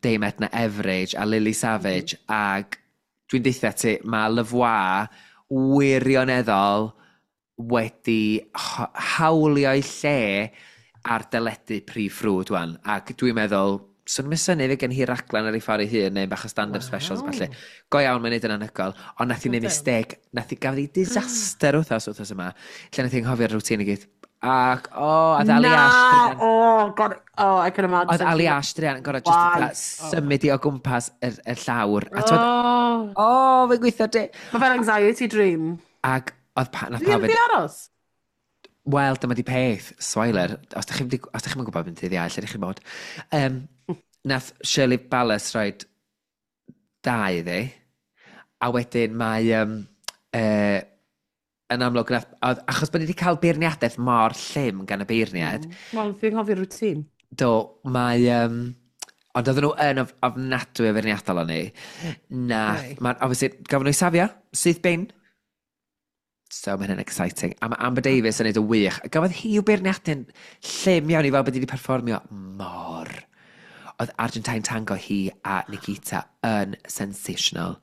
Dame Edna Everage a Lily Savage ac dwi'n deutha ti, mae Lavoie wirioneddol wedi hawlio'i lle ar deledu prif ffrwd wan, ac dwi'n meddwl swn i'n synnu fe gen hi raglen ar ei ffordd ei hun neu bach o stand-up specials falle. Go iawn, mae'n neud yn anhygoel, ond nath hi neud Wel, mistake, nath hi gafodd hi disaster wythnos yma, lle nath hi anghofio'r routine i gyd. Ac, o, oh, a Ali Na! Ash, Oh, God. Oh, I can imagine. oedd Ali Ash druan yn gorfod just Why? fatha symud i o gwmpas y llawr. A t'wod, Oh. o, oh, fe'n gweithio di. Mae fel anxiety dream. Ac oedd pa, nath Fi pawb ddim di aros. Wel, dyma di peth, spoiler, os da chi'n gwybod beth dydd Iau, lle ydych chi'n bod. Nath Shirley Ballas roed 2 iddi, a wedyn mae, yn amlwg, nath, oedd, achos bod ni wedi cael beirniadaeth mor llym gan y beirniad, Wel, fi'n cofio'r routine. Do, mae... Ond oedden nhw yn ofnadwy o feirniadol o'n ni. Nath, Right. mae'n, obviously, gafon nhw i safio, syth bin. So mae hynny'n exciting. A mae Amber Davies yn neud y wych. A gafodd hi i'w beirniadu'n llym iawn i fel bod hi wedi perfformio mor. Oedd Argentine Tango hi a Nikita yn sensational.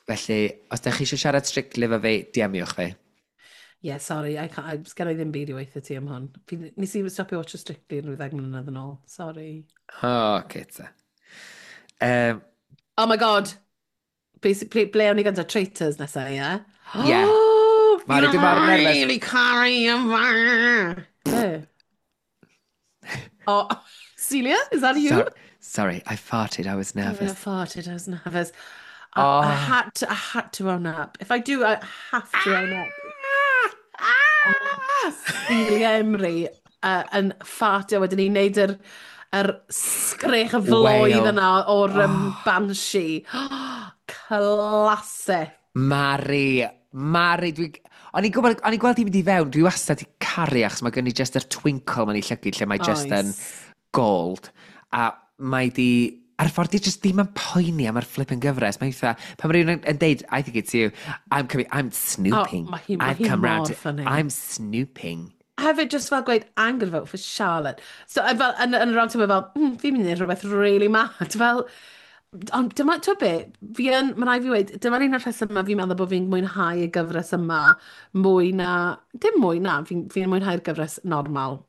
Felly, os da chi eisiau siarad Strictly efo fi, DM-iwch fi. Yeah, sorry, I can't, sgen i ddim byd i weithio ti am hwn. Nes i stopio watch Strictly yn rhyw 10 mlynedd yn ôl. Sorry. O, oh, okay, ta. Oh my God. Basically, ble o'n i gyntaf? Traitors nesaf, ie? Yeah? Ie. Mari, dwi mor nervous. Really caru yma. Be? Oh, Celia, is that you? Sorry, I farted, I was nervous. I farted, I was nervous. Oh. I had to own up. If I do, I have to own up. Oh, Celia Imrie yn ffartio wedyn ni'n neud yr sgrech y floedd yna o'r banshee. Classic. Mari, dwi... O'n i'n gwybod, o'n i'n gweld hi'n mynd i fewn, dwi wastad i caru achos mae gen i just yr twinkle ma'n ei llygyd lle mae just yn gold. A mae di... A'r ffordd di just ddim yn poeni am yr flipping gyfres. Mae'n eitha... Pan mae rhywun yn deud, "I think it's you, I'm coming, I'm snooping." Oh, mae I've hi come round mor to, funny. I'm snooping. Hefyd, just fel gweud, "I'm going to vote for Charlotte." So, fel, yn y round table, fel, fi'n mynd i wneud rhywbeth really mad." Fel, ond dyma, ti'n be, fi yn, mae'n rhaid fi weud, dyma'r un o'r rhesymau fi'n meddwl bod fi'n mwynhau y gyfres yma mwy na, dim mwy na, fi mwynhau'r gyfres normal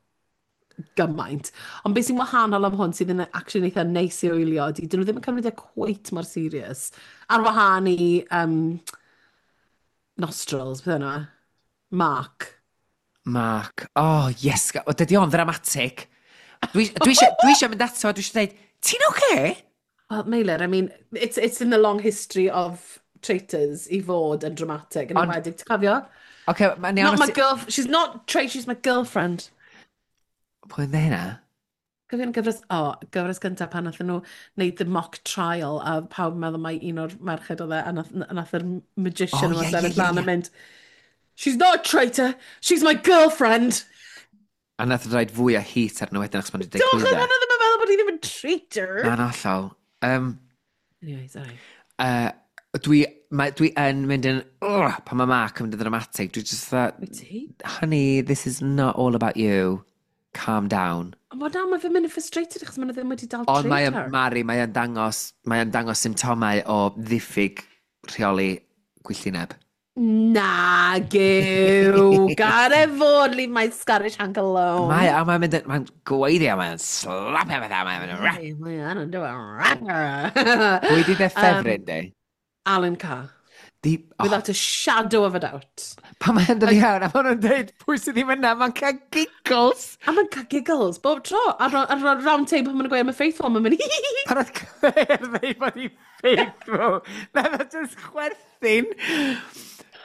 gymaint. Ond beth sy'n wahanol am hwn sydd yn actually eitha neis i wylio ydy, dyn nhw ddim yn cymryd e quite mor serious. Ar wahân i Nostrils, beth yna? Mark. Mark. Oh, yes. O, dydy o'n ddramatic. Dwi eisiau mynd ato, dwi eisiau dweud, "Ti'n okay?" Well, Meilir, I mean, it's in the long history of traitors i fod yn dramatic. Yn enwedig, ti'n cofio? Okay, mae'n Not my girl, she's not traitor, she's my girlfriend. Pwy yn dweud hynna? Cofio'n gyfres, o, oh, gyfres gyntaf pan nathon nhw wneud the mock trial a pawb yn meddwl mai un o'r merched oedd e, a nath yr magician yma sefyll lan a mynd, "She's not a traitor, she's my girlfriend." A nath rhaid fwy o heat arno wedyn achos ma'n wedi Do, dweud achos clwydda. maen nhw ddim yn meddwl bod hi ddim yn traitor. Na'n hollol. Anyway, sorry. Dwi yn mynd yn, ugh, pan mae Mark yn mynd yn dramatic, dwi just thought, Wyt ti? "Honey, this is not all about you. Calm down." Ond mae na, mae fe'n mynd yn frustrated achos maen nhw ddim wedi dal Ond mae traitor. Mari, mae o'n dangos symptomau o ddiffyg rheoli gwylltineb. Na, gyw. Gad e fod, leave my Scottish hank alone. A mae'n mynd, mae'n gweiddi a mae'n slapio bethau, mae'n mynd, Mae yn do. Pwy di dy ffefryn, di? Alan Carr. Di, oh, Without a shadow of a doubt. Pan mae'n dod i fewn, a maen nhw'n dweud, "Pwy sydd ddim yna?" Mae'n cael giggles. A mae'n cael giggles bob tro. Ar round table pan maen nhw'n gweud am y faithful, mae'n mynd. Pan oedd Claire dweud bod hi faithful, nath o just chwerthin.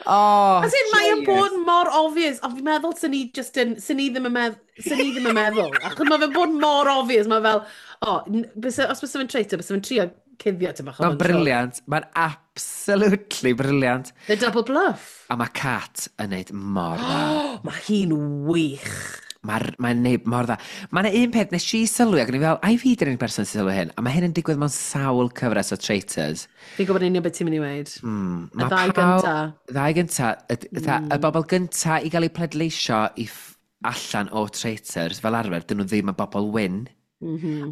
Oh, As in, mae'n genius. bod mor obvious, ond fi'n meddwl sy'n ni just yn, sy'n ni ddim yn meddwl. Achos mae fe'n bod mor obvious, mae fel, oh, os byse fe'n traitor, byse fe'n trio cuddio ti'n bach. Mae'n brilliant. Mae'n absolutely brilliant. The double bluff. A mae Kat yn neud mor dda. Oh, mae hi'n wych. Mae'n mae neud mor dda. Mae'n un peth nes i sylwi, ac o'n i fel, ai fi dy'r unig person sy'n sylwi hyn? A mae hyn yn digwydd mewn sawl cyfres o Traitors. Fi'n gwybod yn union beth ti'n mynd i weud. Mm, Y ma' ddau gynta. Ddau gynta. Y bobl gynta i gael eu pleidleisio i allan o Traitors, fel arfer, dyn nhw ddim yn bobl wyn.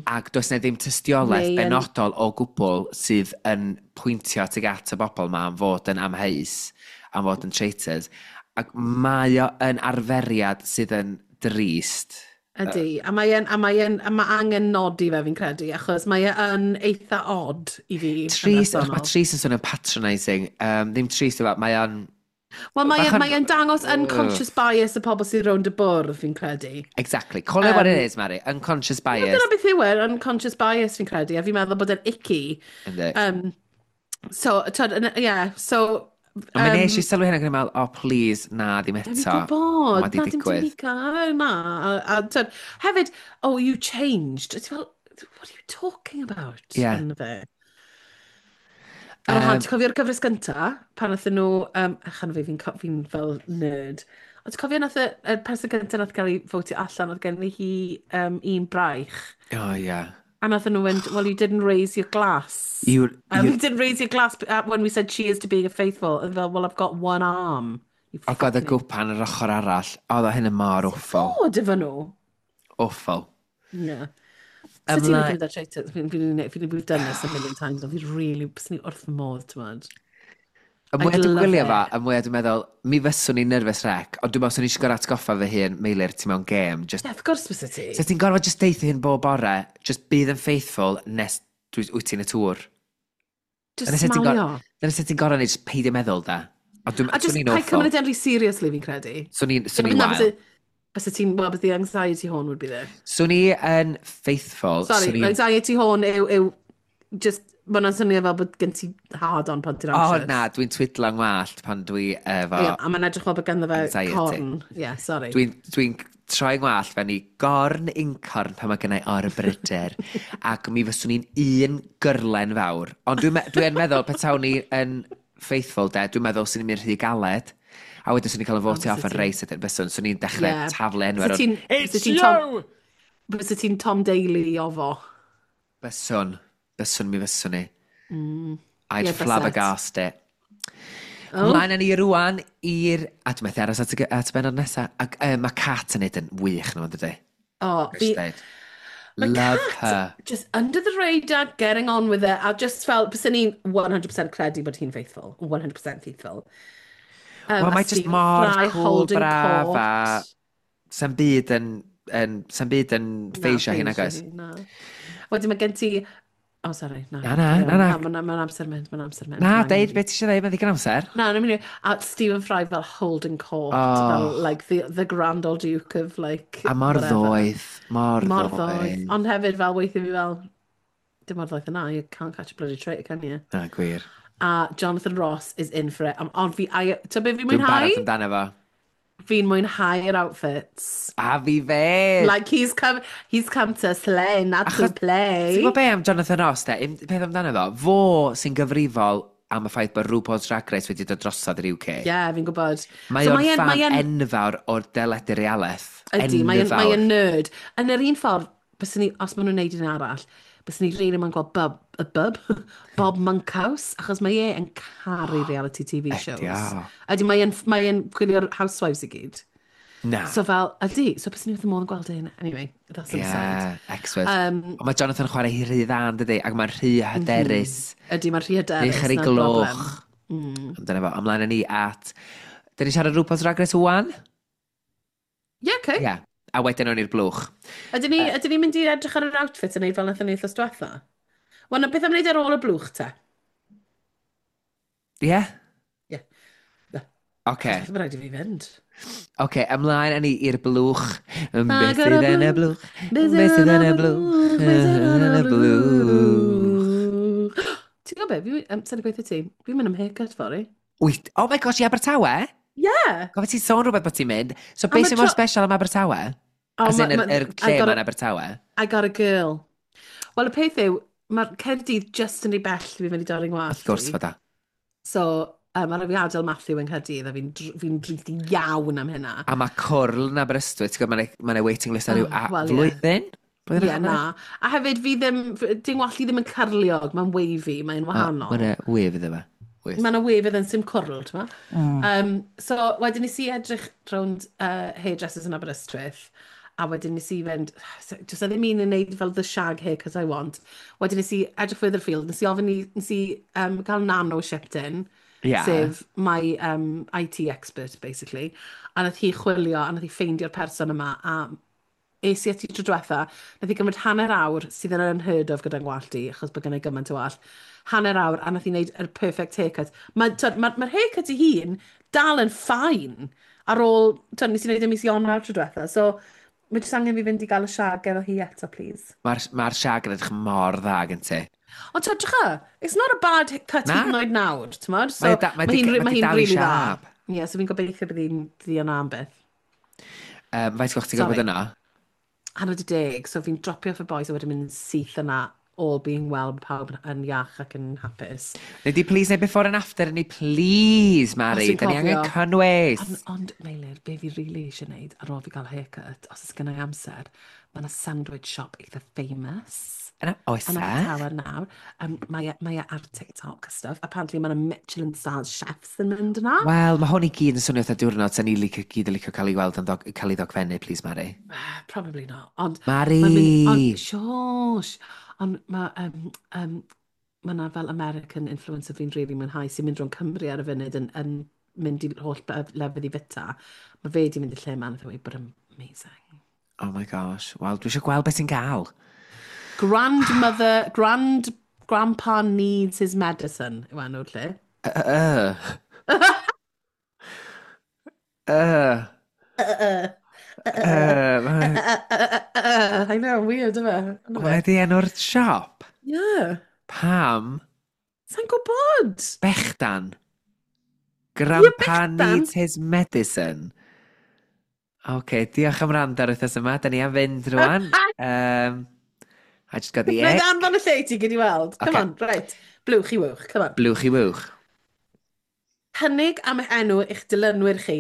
Ac does na ddim tystiolaeth benodol o gwbl sydd yn pwyntio tuag at y bobl ma am fod yn amheus, am fod yn traitors. Ac mae o yn arferiad sydd yn drist. Ydy, a mae angen nodi fe fi'n credu, achos mae e yn eitha odd i fi yn Trist, bersonol. mae trist yn swnio'n patronising. Ddim trist yma, mae o'n. Wel, bach mae e'n dangos unconscious bias y pobl sydd rownd y bwrdd, fi'n credu. Exactly. Call it what it is, Mary. Unconscious bias. Dyna beth yw e, unconscious bias fi'n credu, a fi'n meddwl bod e'n icky. Yndi. So, twyd, yeah, so. Ond mi nes i sylwi hynna ac o'n i'n meddwl, "Oh please, na, ddim Fi'n eto." gwybod, Mae 'di na, dim digwydd. Tamika, na. A twyd, hefyd, "Oh, you changed." Ti'n fel, "What are you talking about?" Yeah. Ynddo fe. Ar wahân, ti'n cofio'r gyfres gynta, pan nathon nhw, achan fi fel nerd, ond ti'n cofio nath y person gynta nath gael ei fotio allan, oedd gen hi un braich, Oh, yeah. a nathon nhw went, "Well, you didn't raise your glass. You didn't raise your glass when we said cheers to being a faithful." And fel, "Well, I've got one arm." You Ac oedd y fucking gwpan yr ochr arall. Oedd o hyn yn mor awful. Bod efo nhw. Awful. Yeah. So ti'n Ymlaen licio mynd ar? We've done this a million times, ond fi really, byswn i wrth fy modd, ti'n modd. Y mwyaf I'd dwi'n love gwylio fo, it. y mwyaf dwi'n meddwl, mi fyswn i'n nervous wreck, ond dwi'n meddwl swn i eisiau gorau atgoffa fy hun, "Meilir, ti mewn game." Just, Yeah, of course bysa ti. So ti'n gorfod just deithio hyn bob bore, just bydd yn faithful nes wyt ti'n y tŵr. Just Dyna sut ti'n smalio. Dyna sut ti'n gorfod neud, just peidio meddwl da. Ond A just swn i'n paid awful. cymryd e'n rhy seriously fi'n credu. Swn i'n Na, wael. Bysa ti'n, well, but the anxiety horn would be there. Swn i yn faithful. Sorry, swn i'n anxiety horn yw just, mae hwnna'n swnio fel bod gen ti hard on pan ti'n O anxious. na, dwi'n twidlo ngwallt pan dwi efo Ie, a mae'n edrych fel bod ganddo fe anxiety. Corn. Yeah, sorry. Dwi troi ngwallt fewn i gorn uncorn pan mae gennau orbryder. Ac mi fyswn i'n un gyrlen fawr. Ond dwi'n dwi yn meddwl, petawn ni yn faithful de, dwi'n meddwl swn i'n mynd rhy galed. A wedyn swn i'n cael y fotio off yn reis ydyn byswn, swn i'n dechrau taflu enw ar Fysa ti'n- It's fysa ti'n you! Bysa ti'n Tom Daley o fo. Byswn. Byswn mi fyswn i. I'd Ie, byset. flabbergast it. Oh. Mlaen â ni rwan i'r... A dwi'n methu aros at y bennod nesaf. Ac mae Cat yn neud yn wych nhw, yn dydy? O, fi, Dweud. Mae Love Kat her. just under the radar, getting on with it. A just fel, byswn ni'n 100% credu bod hi'n faithful. 100% faithful. Wel, A mae just Stephen mor Fry cool, holding braf court. a sa'm byd yn Na, ffeisio hi, nag ffeisio oes? hi, na. Wedyn mae gen ti... Oh, sorry, na. Na, na, na, na. Mae'n amser mynd, mae'n amser mynd. Na, Ma' angen deud i fi. beth ti eisiau dweud, mae'n ddigon amser. Na, na, mynd i... A Stephen Fry fel holding court, Oh. fel, like, the grand old duke of, like, A mor whatever. ddoeth, mor Mor ddoeth. ddoeth. Ond hefyd, fel, weithio fi fel, dim mor ddoeth yna, you can't catch a bloody traitor, can you? Na, gwir. A Jonathan Ross is in for it. Ond fi, ti'n be fi'n Dwi'n mwynhau? barod amdano fo. Fi'n mwynhau'r outfits. A fi fe! Like, he's come to slay, not to Achos- play. Ti'n gwybod be am Jonathan Ross, de? Un peth amdano fo, fo sy'n gyfrifol am y ffaith bod RuPaul's Drag Race wedi dod drosodd i'r UK. Ie, yeah, fi'n gwybod. Mae So o'n fan enfawr o'r deledu realaeth. Ydy, mae'n Enfawr. mae o'n nerd. Yn yr un ffordd, byswn ni, os maen nhw'n neud un arall, byswn ni really moyn gweld Bob, y Bub, Bob Monkhouse, achos mae e yn caru reality TV shows. Ydy o. Ydy, mae e'n gwylio'r Housewives i gyd. Na. So fel, ydy, so byswn ni wrth y modd yn gweld un. Anyway, that's an aside. Yeah, expert. Ond mae Jonathan yn chwarae hi rhy dda, yn dydi? Ac mae'n rhy hyderus. Ydy, mae'n rhy hyderus. Rhy cheri 'na'r broblem. gloch. Ond dyna fo, ymlaen â ni at... Dyn ni siarad RuPaul's Drag Race 1? Ie, okay. Ie. Yeah. A wedyn o'n i'r blwch. Ydyn ni'n mynd i edrych ar yr outfit yn neud fel nathon ni wythnos diwetha? Wel, na beth am wneud ar ôl y blwch te? Ie? Yeah? Ie. Yeah. Oce. Mae rhaid i fi fynd. Oce, ymlaen â ni i'r blwch. Beth Agor y sydd yn y blwch, blwch? Beth sydd yn y blwch? Beth sydd yn y blwch? Ti'n gwybod be? Fi, sa'n gweithio ti? Fi'n mynd am haircut fory. Wyt, oh my gosh, i Abertawe? Yeah. Gofio ti'n sôn rhywbeth bod ti'n mynd. So A beth ma' sy'n mor tro special am Abertawe? Oh, As in, yr I lle got ma'n Abertawe? I got a girl. Wel, y peth yw, mae'r Caerdydd just yn rhy bell i fi fynd i dorri ngwallt Wrth gwrs i. fod o. So, mae rhaid fi adael Matthew yng Nghaerdydd a fi'n drist iawn am hynna. A mae cwrl yn Aberystwyth, ti'n gwybod, mae 'na waiting list ar ryw Oh, wel, ie. flwyddyn? Blwyddyn Ie, a hanner? na. A hefyd, fi ddim, di'n wallt i ddim yn cyrliog, mae'n wavy, mae'n A wahanol. Mae 'na wave iddo fe. Wyt. Mae yna wave yn sim cwrl, ti'n ma? So, wedyn nes i edrych rownd hairdressers yn Aberystwyth, a wedyn nes i fynd, just ddim un yn neud fel the shag haircut I want. Wedyn nes i edrych further afield, nes i ofyn i, nes i gael Nano shipped in, sef my IT expert, basically. A nath hi chwilio, a nath hi ffeindio'r person yma, a es i ati tro diwetha, nath hi gymryd hanner awr sydd yn unheard of gyda'n gwallt i, achos bod gen i gymaint o wallt. Hanner awr, a nath hi wneud yr perfect haircut. Mae'r ma haircut ei hun dal yn fine ar ôl, twyd, nes i wneud y mis Ionawr tro diwetha, so mae jyst angen fi fynd i gael y shag efo hi eto, please. Mae'r ma shag yn edrych mor dda gen ti. Ond twyd, drycha, it's not a bad cut Na. hyd yn oed nawr, ti'n modd? So, Mae mae hi'n mae mae di hi'n dal i really dda. siâp. Ie, yeah, so fi'n gobeithio bydd hi yna am byth. Faint gwch ti'n gwybod Sorry. yna? 9:30, so fi'n dropio off y boys a wedyn mynd syth yna, all being well, pawb yn iach ac yn hapus. Neu di please neu before and after ni, please, Mari. Os ti'n Da ni angen cofio. cynnwys. Ond Meilir, be fi really eisiau gwneud ar ôl fi gael haircut, os oes gen i amser, mae yna sandwich shop eitha famous Yna, oes yn e? Abertawe nawr. Mae e ar TikTok a stuff. Apparently mae yna Michelin star chefs yn mynd yna. Wel, mae hwn i gyd yn swnio fatha diwrnod sa'n ni licio, gyd yn licio cael ei weld yn cael ei ddogfennu, please, Mari. Ah, probably not. Ond Mari! Mae'n mynd, ond, shush, ond mae ma 'na fel American influencer fi'n really mwynhau sy'n mynd rhwng Cymru ar y funud yn mynd i holl lefydd i fita. Mae fe di mynd i'r lle yma, a dweud bod yn amazing. Oh my gosh. Wel, dwi eisiau gweld beth ti'n gael. Grandmother, grandpa needs his medicine, yw enw'r lle. I know, weird, yfe? Hwna di enw'r siop? Yeah. Pam? Sa'n gwybod? Bechdan. Grandpa needs his medicine. OK, diolch am rand ar wythnos yma. Da ni am fynd rwan. I just got the ick. Wna i anfon y lle i ti gyd i weld. Come okay. on, right. Blwch i wwch, come on. Blwch i wwch. Cynnig am eich enw eich dilynwyr chi.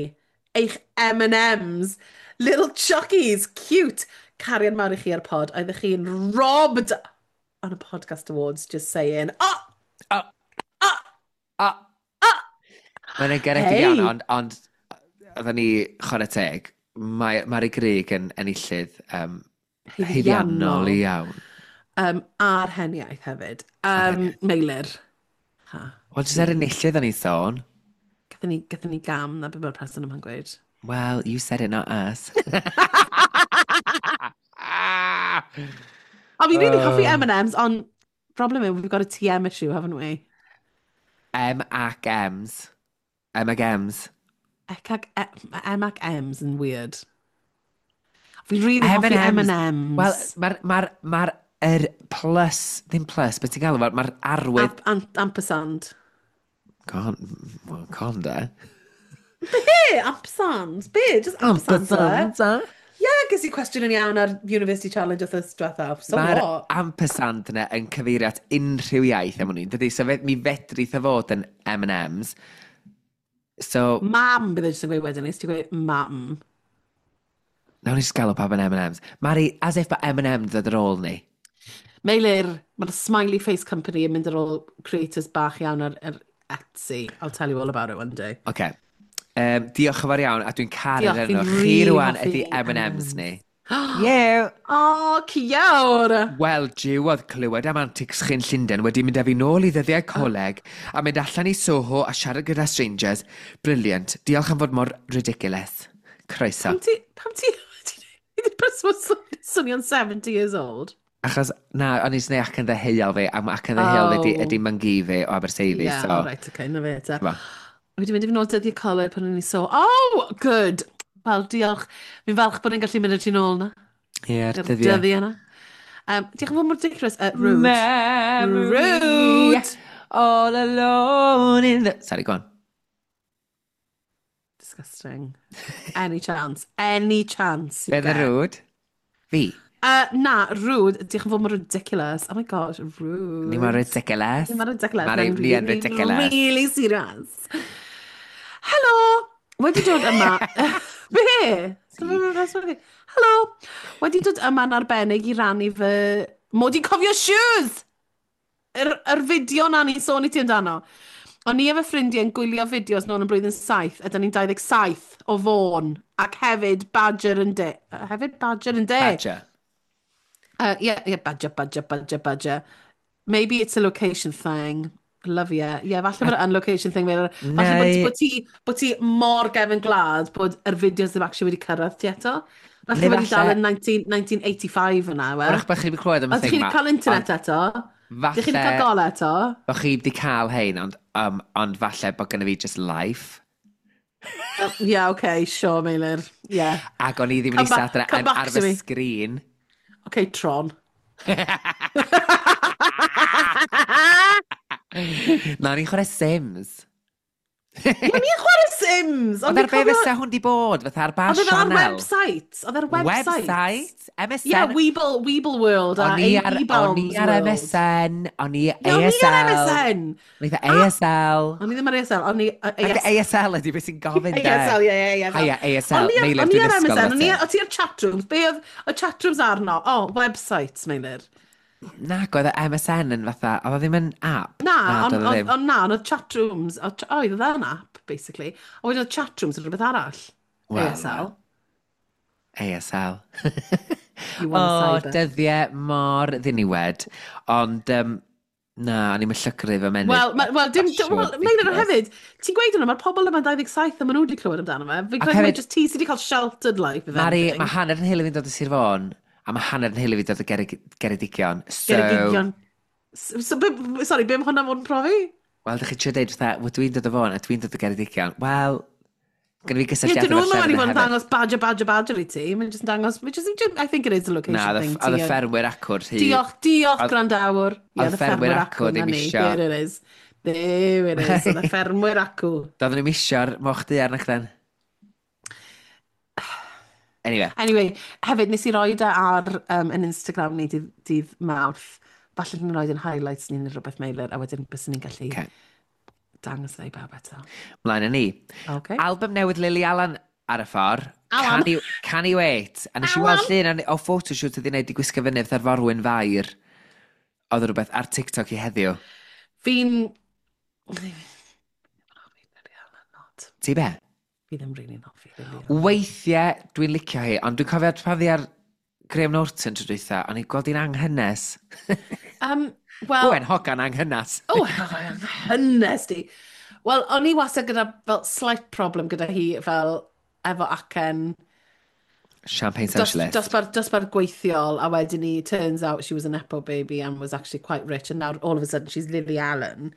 Eich M&M's. Little Chuckies, cute. Cariad mawr i chi ar pod. Oeddech chi'n robbed on a podcast awards, just saying. Oh! Oh! Oh! Oh! Oh! Mae'n garedig hey. Iawn, ond, ond oedden ni chwarae teg. Mae Mari Grug yn enillydd haeddiannol iawn. A'r heniaith hefyd. Meilir. Ha. Wel, jyst er enillydd o'n i sôn. Gathon ni gam, na beth mae'r person yma'n gweud. Well, you said it, not us. I mean, really hoffi M&M's, ond problem yw, we've got a TM issue, haven't we? M ac M's. M ac M's. M ac M's yn weird. Fi'n really hoffi M&M's. Wel, mae'r ma ma er plus, ddim plus, beth ti'n galw, mae'r arwydd... Ampersand. Con, well, con de. Be? Ampersand? Be? Just ampersand. Ampersand. Yeah, ges i cwestiwn yn iawn ar University Challenge wythnos diwethaf. So Mae'r what? ampersand yna yn cyfeirio at unrhyw iaith am hwnnw. Dydy, so mi fedrith o fod yn M&M's. So... Mam, bydd e jyst yn gweud wedyn, nes ti'n gweud mam. Nawn ni just galw pawb yn M&M's. Mari, as if bod M&M dod ar ôl ni. Meilir, mae'r Smiley Face Company yn mynd ar ôl creators bach iawn ar Etsy. I'll tell you all about it one day. OK. Diolch yn fawr iawn, a dwi'n caru'r enw. Chi rwan ydy M&M's ni. Yeah. O, ciawr! Wel, jiw oedd clywed am antics chi'n Llundain wedi mynd â fi nôl i ddyddiau coleg a mynd allan i Soho a siarad gyda strangers. Brilliant. Diolch am fod mor ridiculous. Croeso. Pam ti... Ti'n swnio'n 70 years old? Achos, na, o'n i'n gwneud acen ddeheuol fi, a mae acen ddeheuol fi ydi mangu fi o Aberteifi. Yeah, so... oh, right, okay, na fe, te. Wedi mynd i fi nôl dyddiau coleg pan o'n i so, oh, good! Wel, diolch. Fi'n falch bod ni'n gallu mynd â ti nôl na. Ie, yeah, dyddiau. Dyddiau yna. Diolch yn fawr mor ridiculous. Rude. Memory. Rude! All alone in the... Sorry, go on. Disgusting. Any chance. Any chance you get. Be rude? Fi? Na, rude. Diolch yn fawr mor ridiculous. Oh my gosh, rude. Ni mor ridiculous. Ni mor ridiculous. Mari, ni yn ridiculous. Really serious. Helo! Wedi dod yma... Be? Helo! Wedi dod yma'n arbennig i rannu fy... Mod i'n cofio shoes! Yr fideo na ni'n sôn i ti amdano. O'n i efo ffrindiau yn gwylio fideos nôl yn blwyddyn 7, a da ni'n 27 o Fôn, ac hefyd Badger yn de. Hefyd Badger yn de. Badger. Yeah, Badger, Badger, Badger, Badger. Maybe it's a location thing. Love you. Yeah, falle bod yn location thing. Falle bod ti mor gefn gwlad bod yr fideos ddim actually wedi cyrraedd ti eto. Falle bod ti dal yn 1985 yna, we. Wrach bod chi wedi clywed am y thing ma. Chi wedi cael internet eto. Falle... Dych chi wedi cael gol eto. Bod chi wedi cael hein, ond falle bod gynna fi just life. Yeah, okay, sure, Meilir. Yeah. Ac o'n i ddim yn eistedd adre ar fy sgrin. Okay, Tron. Na, ni'n chwarae Sims. Ie, ni'n chwarae Sims! Ond ar be fysa hwn di bod? Fatha ar ba sianel? Oedd ar website. Oedd ar website. Website? MSN? Yeah, Weeble World a E-Bombs O'n i ar MSN, o'n i ASL. O'n i ar MSN. O'n i ASL. O'n i ddim ar ASL, o'n i... ASL ydi beth sy'n gofyn de. ASL, ie, ie, ie. Haia, ASL, Meilir, dwi'n ysgol. O'n i ar MSN, o'n i ar chatrooms. Be oedd y chatrooms arno? Oh, websites, Meilir. Na, oedd y MSN yn fatha, oedd o ddim yn app. Na, ond na, ond oedd chatrooms, oedd oedd yn app, basically. A wedyn oedd chatrooms yn rhywbeth arall. Well, ASL. ASL. You want O, cyber. dyddiau mor ddiniwed. Ond, na, o'n i'n llygru fy menydd. Wel, well, dim, well, Meilir hefyd, ti'n gweud hwnna, mae'r pobl yma'n 27 a maen nhw wedi clywed amdano fe. Fi'n credu mai just ti sydd wedi cael sheltered life, if Mari, anything. mae hanner yn nheulu fi'n dod o Sir Fôn, a mae hanner yn nheulu fi'n dod o Geredigion. So, Geredigion. So, sorry, be mae hwnna fod yn profi? Wel, dych chi'n trio deud fatha, wel, dwi'n dod o Fôn a dwi'n dod o Geredigion. Wel, Gynna fi Ie, gysylltiadau dyn nhw efo'r ddim yn llefydd wedi bod yn hefyd. dangos badger, badger, badger i ti. Mae'n just yn dangos, mae'n just, I think it is a location Na, thing. oedd y ffermwyr acwr rhy. Diolch, diolch, Oedd- gwrandawr. Ie, oedd y ffermwyr acw na ddim ni. isio. There it is. There it is. Oedd y ffermwyr acw. Doedden nhw'm isio'r moch du arna chden. Anyway, Anyway, hefyd, nes i roi e ar yn Instagram ni dydd Mawrth. Falle ni'n rhoi yn highlights ni neu rhywbeth, Meilir, a wedyn bys ni'n gallu dangos e i bawb eto. Mlaen â ni. Okay. Album newydd Lily Allen ar y ffordd. Alan. Can you wait? A nes i weld Alan. llun o photoshoot oedd hi'n neud i gwisgo fyny fatha'r forwyn fair. Oedd rhywbeth ar TikTok i heddiw. Fi'n... Fi ddim yn hoffi Lily Allen, not. Ti be? Fi ddim really'n hoffi Lily Allen. Weithiau dwi'n licio hi, ond dwi'n cofio pan fi ar Graham Norton tro dwytha, o'n i'n gweld hi'n anghynes. Wel, Owen, hogan anghynas. O, hynnes di. Wel, o'n i wastad gyda fel slight problem gyda hi fel efo acen Champagne Socialist. Dosbarth gweithiol, a wedyn ni, turns out she was a nepo baby and was actually quite rich, and now all of a sudden she's Lily Allen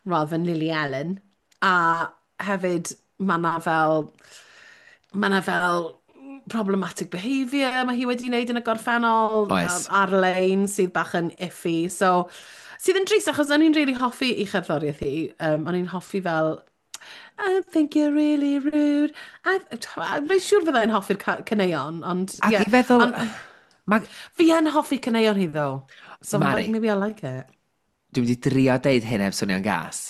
rather than Lily Allen. A hefyd, mae na fel problematic behaviour mae hi wedi wneud yn y gorffennol Oes. ar-lein sydd bach yn iffy. So, sydd yn drist achos o'n i'n really hoffi i cherddoriaeth hi. O'n i'n hoffi fel "I think you're really rude." Mae'n siŵr fyddai'n hoffi'r caneuon, ond Ac yeah. i feddwl Ond Ma, fi yn hoffi caneuon hi, though. So Mari. like, maybe I like it. Dwi'n mynd i drio deud hyn heb swnio'n gas.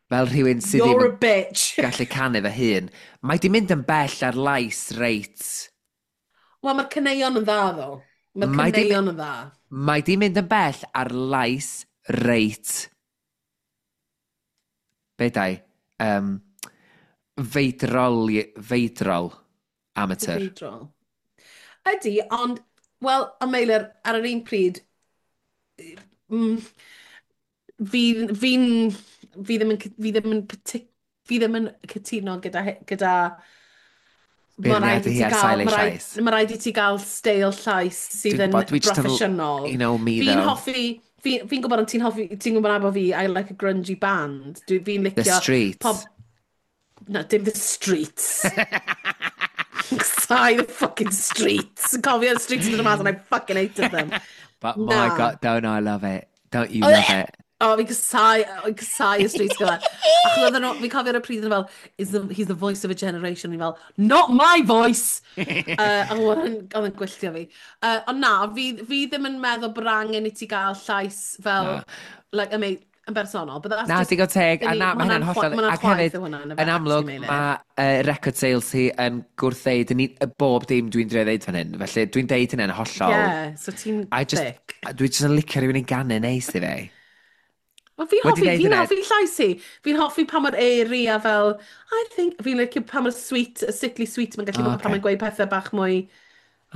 Fel rhywun sydd ddim You're yn a bitch. gallu canu fy hun. Mae di mynd yn bell ar lais reit. Wel, mae'r caneuon yn dda, though. Mae'r Mae di- caneuon yn dda. Mae di mynd yn bell ar lais reit. Be dai? Feidrol, feidrol amateur. Feidrol. Ydy, ond, wel, a Meilir, ar yr un pryd, fi ddim yn cytuno gyda ma' raid Beirniadu i hi ti ar gael, sail ei ma' raid, llais. ma' raid i ti gael steil llais sydd Dwi'n yn gwybod, dwi jyst yn broffesiynol. You know me, Fi'n though. hoffi, fi'n gwybod ond ti'n hoffi, ti'n gwybod abo fi, I like a grungy band. Fi'n The licio Streets. Pob, no, dim The Streets. Sorry, the fucking Streets. Cofio The Streets yn dod mas and I fucking hated them. But my Na. God, don't I love it? Don't you Oh, love it? Oh, fi'n casau y Streets gyda. Achos oedden nhw, fi'n cofio ar y pryd yn fel, He's the voice of a generation." Fi'n fel, "Not my voice!" Oedd yn gwylltio fi. Ond na, fi ddim yn meddwl bod angen i ti gael llais fel, Na. like, I mean, yn bersonol. But that's Na, just, digon teg, a na, ma' mae hynna'n hwnna'n hollol. ma' hwnna'n Ac chwaith hefyd, yw hwnna, yn y yn amlwg, actually, Meilir. mae record sales hi yn gwrthdeud yn bob dim dwi'n drio ddeud fan hyn. Felly dwi'n deud hynny'n hollol. Yeah, so ti'n I just, thick. dwi just yn licio rhywun i ganu neis i fi. Wel, fi'n Wedi hoffi, deud fi'n hynna- hoffi llais hi. Fi'n hoffi pa mor airy a fel, I think, fi'n licio pa mor sweet, sickly sweet mae'n gallu O, bod pan ocê. mae'n gweud pethau bach mwy.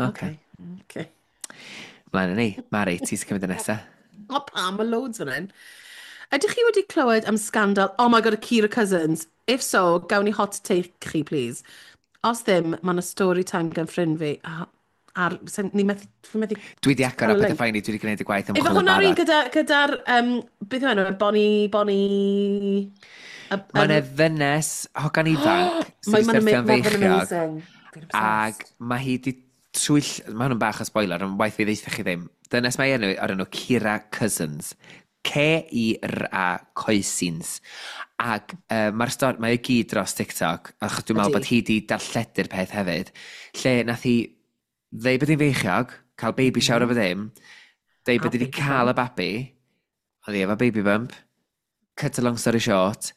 Okay. Okay. Mlaen â ni. Mari, ti sy'n cymryd y nesaf. O, pam, mae loads fan hyn. Ydych chi wedi clywed am scandal, oh my God, y Kira Cousins? If so, gawn ni hot take chi, please. Os ddim, mae yna story time gan ffrind fi. A, ar, ni methu, fi methu Dwi di agor cael a y pethau link. ffain i, dwi wedi gwneud y gwaith Efo ymchwil yn hwnna'r un barod. gyda'r, beth yw enw, e? Bonnie. Mae yna ddynes, hogan ifanc, sydd wedi Mae'n syrthio'n feichiog, amazing. Fi'n ac obsessed. mae hi di twyll. Mae hwn yn bach o spoiler, ond waith fi ddeitha chi ddim. Dynes mae enw o'r enw Kira Cousins. Kira Cousins. Ac mae'r stori, mae o gyd dros TikTok, achos dwi'n meddwl Ydi. bod hi di darlledu'r peth hefyd, lle nath hi ddeud bod hi'n feichiog, cael baby shower mm. o ddim, deud A bod hi wedi baby cael y babi, oedd hi efo baby bump, cut a long story short,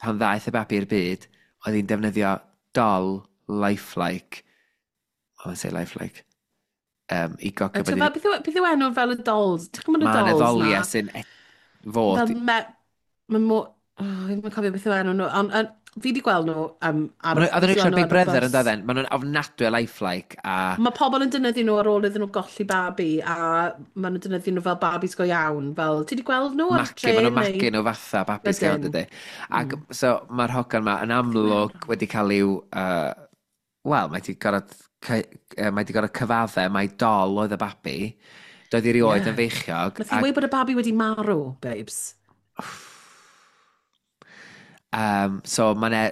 pan ddaeth y babi i'r byd, oedd hi'n defnyddio doll lifelike, I want to say lifelike, i gogio Ti'n bod fel, beth yw enw fel y dolls? Ti'n gwybod y Mae yna dolls ddoliau na? sy'n fod. Fel me... Mae mo... Oh, fi ddim yn cofio beth yw enw nhw. Ond fi wedi gweld nhw ar... Ma' Oedden nhw'n beth yw eisiau enw Big ar y Brother yn bus. doedden? Maen nhw'n ofnadwy o lifelike a Mae pobl yn defnyddio nhw ar ôl iddyn nhw golli babi a maen nhw'n defnyddio nhw fel babis go iawn. Fel, ti wedi gweld nhw ar y magu, trên? maen nhw'n magu nhw fatha babis iawn, Ydyn. dydy. Ac so mae'r hogan ma yn amlwg wedi cael i'w... Wel, mae di gorfod cyfadde, mae dol oedd y babi. Doedd hi erioed yn feichiog. Nath hi weud bod y babi wedi marw, babes. So mae yna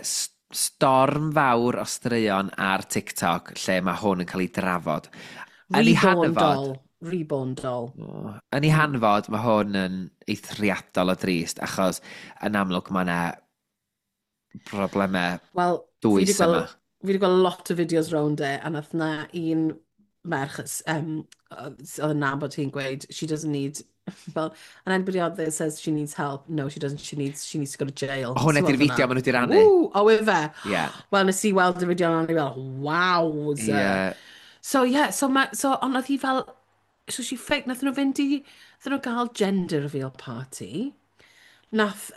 Storm fawr o straeon ar TikTok lle mae hwn yn cael ei drafod. Yn ei Reborn hanfod, doll. Reborn doll. Oh, yn ei hanfod, mae hwn yn eithriadol o drist, achos yn amlwg mae yna broblemau Wel, fi wedi dwys yma. gweld, fi wedi gweld lot o fideos rownd e, a nath na un merch oedd yn nabod hi'n gweud, she doesn't need, fel, and anybody out there says she needs help, no, she doesn't, she needs to go to jail. Hwnna Ti'n di'r weld fideo hwnna? maen nhw wedi rannu. Woo, o, ife? Ie. Wel, nes i weld y fideo yna, o'n i fel, wowza. So, yeah, so, ma, so, ond oedd hi fel, so she fake, nath nhw fynd i, nath nhw gael gender reveal party. Nath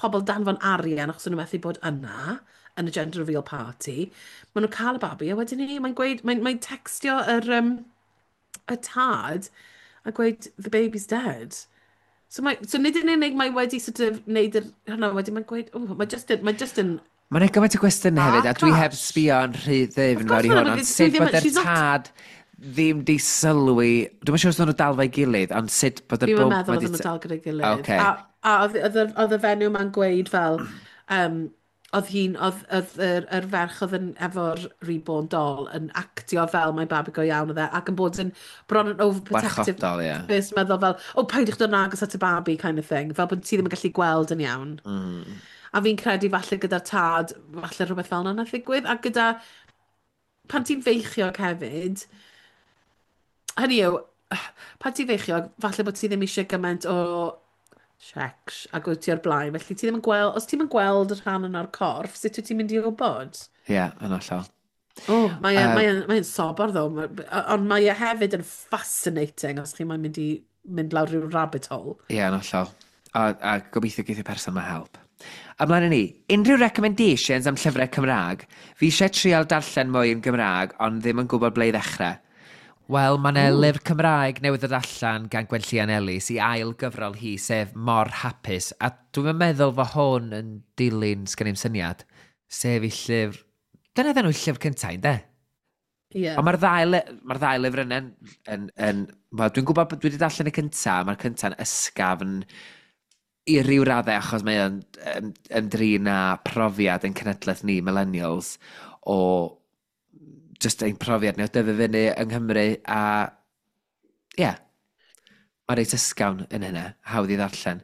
pobl danfon arian achos o'n nhw methu bod yna yn y gender reveal party. Maen nhw'n cael y babi, a wedyn ni, mae'n gweud, mae'n textio y tad a gweud, "The baby's dead." So nid yn unig mae wedi sort of neud yr, hwnna, wedyn mae'n gweud, oh, mae just yn Mae'n ei gymaint o gwestiynau hefyd, a car dwi heb crash. sbio yn rhy ddyfn Of fewn course i ma' hwn, nhw, ond dwi sut ddim bod yr she's not- tad ddim di sylwi, dwi'n siŵr os nhw'n dal fo'i gilydd, ond sut bod y Fi'n bwmp meddwl ma' oedden 'di nhw dal gyda'i gilydd. Ocê. A oedd y fenyw ma'n gweud fel, oedd hi'n, oedd yr ferch oedd yn efo'r reborn doll yn actio fel mae babi go iawn oedd e, ac yn bod yn bron yn overprotective. Warchodol, ie. First meddwl fel, "Oh, peidiwch dod yn agos at y babi," kind of thing. Fel bod ti ddim yn gallu gweld yn iawn. A fi'n credu falle gyda'r tad, falle rhywbeth fel yna nath ddigwydd. A gyda, pan ti'n feichiog hefyd, hynny yw, pan ti'n feichiog, falle bod ti ddim eisiau gymaint o sex ac wyt ti o'r blaen. Felly ti ddim yn gweld, os ti'n yn gweld y rhan yna'r corff, sut wyt ti'n mynd i wybod? Ie, yn hollol. Oh, mae e'n sobor ddo, ond mae e hefyd yn fascinating os chi'n moyn mynd i mynd lawr rhyw rabbit hole. Ie, yn hollol. A gobeithio geith y person ma help. Ymlaen â ni, unrhyw recommendations am llyfrau Cymraeg? Fi eisiau trial darllen mwy yn Gymraeg, ond ddim yn gwybod ble i ddechrau. Wel, mae yna lyfr Cymraeg newydd ddod allan gan Gwenllian Ellis i ail gyfrol hi, sef Mor Hapus. A dwi'n meddwl fod hwn yn dilyn, sgen i'm syniad, sef i llyfr. Dyna ddyn nhw llyfr cyntaf, ynde? Ie. Ond mae'r ddau lyfr yna'n... Yn, wel, dwi'n gwybod bod dwi wedi darllen y cyntaf, mae'r cynta'n ysgafn i ryw raddau achos mae o'n ymdrin â profiad yn cenedlaeth ni, millennials, o just ein profiad ni o dyfu fyny yng Nghymru a ie, yeah, mae reit ysgafn yn hynna, hawdd i ddarllen.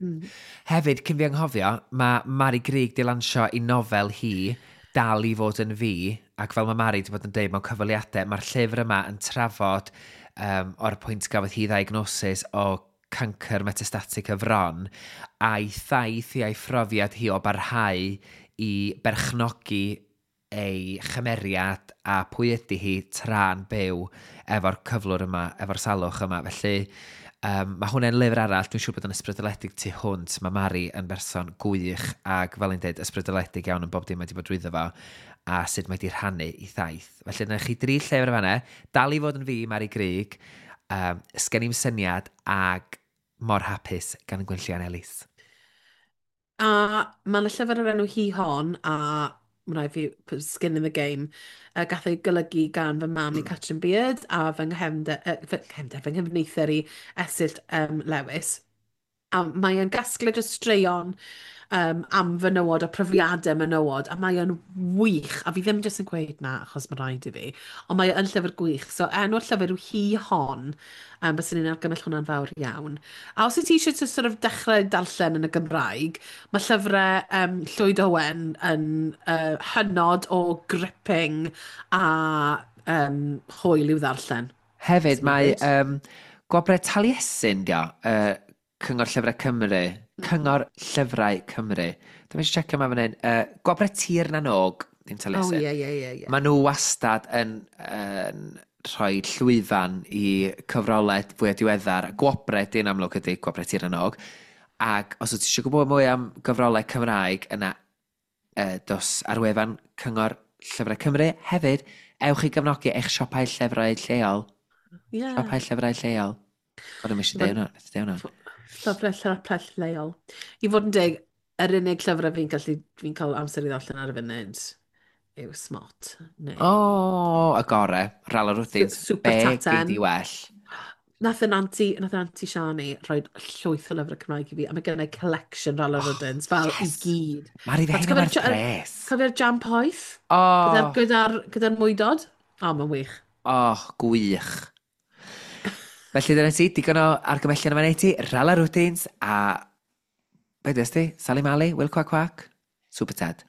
Hefyd, cyn fi anghofio, mae Mari Grug di lansio i nofel hi, Dal i fod yn fi, ac fel mae Mari wedi bod yn deud mewn cyfweliadau, mae'r llyfr yma yn trafod o'r pwynt gafodd hi ddiagnosis o cancr metastatic y fron, a'i thaith hi a'i phrofiad hi o barhau i berchnogi ei chymeriad a pwy ydy hi tra'n byw efo'r cyflwr yma, efo'r salwch yma. Felly, mae hwnna'n lyfr arall, dwi'n siŵr bod yn ysbrydoledig tu hwnt. Mae Mari yn berson gwych ac fel i'n dweud, ysbrydoledig iawn yn bob dim mae wedi bod drwyddo fo a sut mae wedi rhannu i thaith. Felly, dyna chi dri llyfr fanna, Dal i fod yn fi, Mari Grug, Sgen i'm syniad ag Mor Hapus gan Gwenllian Ellis. A mae yna llyfr o'r enw Hi Hon, a mae rhaid fi put skin in the game. Gath ei golygu gan fy mam i Catrin Beard a fy nghefnder, fy nghyfneither i Esyllt Lewis. A mae e'n gasgliad o straeon am fenywod a profiadau menywod, a mae e'n wych. A fi ddim jyst yn gweud na, achos mae rhaid i fi, ond mae e yn llyfr gwych. So enw'r llyfr yw Hi Hon, byswn i'n argymell hwnna'n fawr iawn. A os wyt ti eisiau to sort of dechrau darllen yn y Gymraeg, mae llyfrau Llwyd Owen yn hynod o gripping a hwyl i'w ddarllen. Hefyd, Sy'n mae good. Gwobrau Taliesin, dio, Cyngor Llyfrau Cymru. Cyngor Llyfrau Cymru. Dwi'n eisiau checio yma fan hyn. Gwobrau Tir na Nog, ddim Taliesin. Oh, ie. Maen nhw wastad yn rhoi llwyfan i cyfrolau fwy diweddar. Gwobrau, di'n amlwg ydy Gwobrau Tir na Nog. Ac os wyt ti eisiau gwybod mwy am gyfrolau Cymraeg, yna dos ar wefan Cyngor Llyfrau Cymru. Hefyd, ewch i gefnogi eich siopau llyfrau lleol. Siopau llyfrau lleol. O'n i'n eisiau deud hwnna. Deud hwnna. Llyfrau lleol. I fod yn deg, yr unig llyfrau fi'n cael amser i ddarllen ar y funud yw Smot. Neu O, oh, y gore. Rala Rwdins. Super Be Taten. gei di well? Nath yn anti, nath yn anti Siani rhoi llwyth o lyfrau Cymraeg i fi, a mae gennau collection Rala oh, Rwdins, fel yes. i gyd. Mari, fe hynny werth pres. Cofio'r jam poeth? Oh. Gyda'r gyda, gyda mwydod? O, oh, mae'n wych. Oh, gwych. Felly dyna ti, digon o argymellion yma neu ti, Rala Rwdins a... Be dys ti? Sally Mally, Will Quack Quack, Super Ted.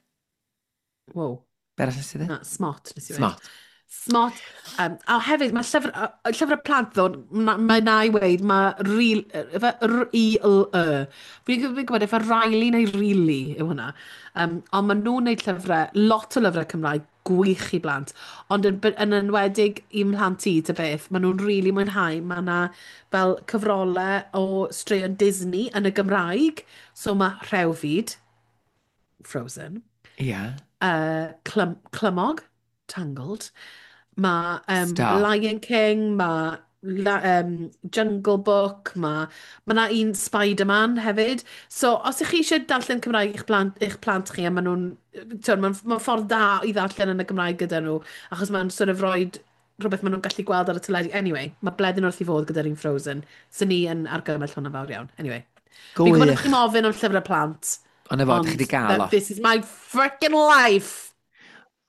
Wow. Be arall nes ti ddweud? Na, Smot nes i ddweud. Smot. Smot. A hefyd, mae llyfr, llyfr y plant ddo, mae na i weid, mae real, R-I-L-E. Fi'n gwybod efe Riley neu Really yw hwnna. Ond maen nhw'n neud llyfrau, lot o lyfrau Cymraeg gwych i blant. Ond yn, yn enwedig i mhlant i, ta beth, maen nhw'n rili really mwynhau. Mae yna fel cyfrolau o straeon Disney yn y Gymraeg. So mae Rhewfyd, Frozen. Ie. Yeah. Clymog, Tangled. Mae Lion King, mae Jungle Book, mae ma 'na un Spider-Man hefyd. So, os ych chi eisiau darllen Cymraeg i'ch plant, i'ch plant chi, a maen nhw'n... Mae'n ma ffordd da i ddarllen yn y Gymraeg gyda nhw, achos mae'n sort of rhoid rhywbeth maen nhw'n gallu gweld ar y teledu. Anyway, mae Bleddyn wrth i fod gyda'r un Frozen. So ni yn argymell hwnna fawr iawn. Anyway. Fi'n gwybod bod chi'n ofyn am llyfrau plant. Ond efo, chi wedi gael o. This is my freaking life!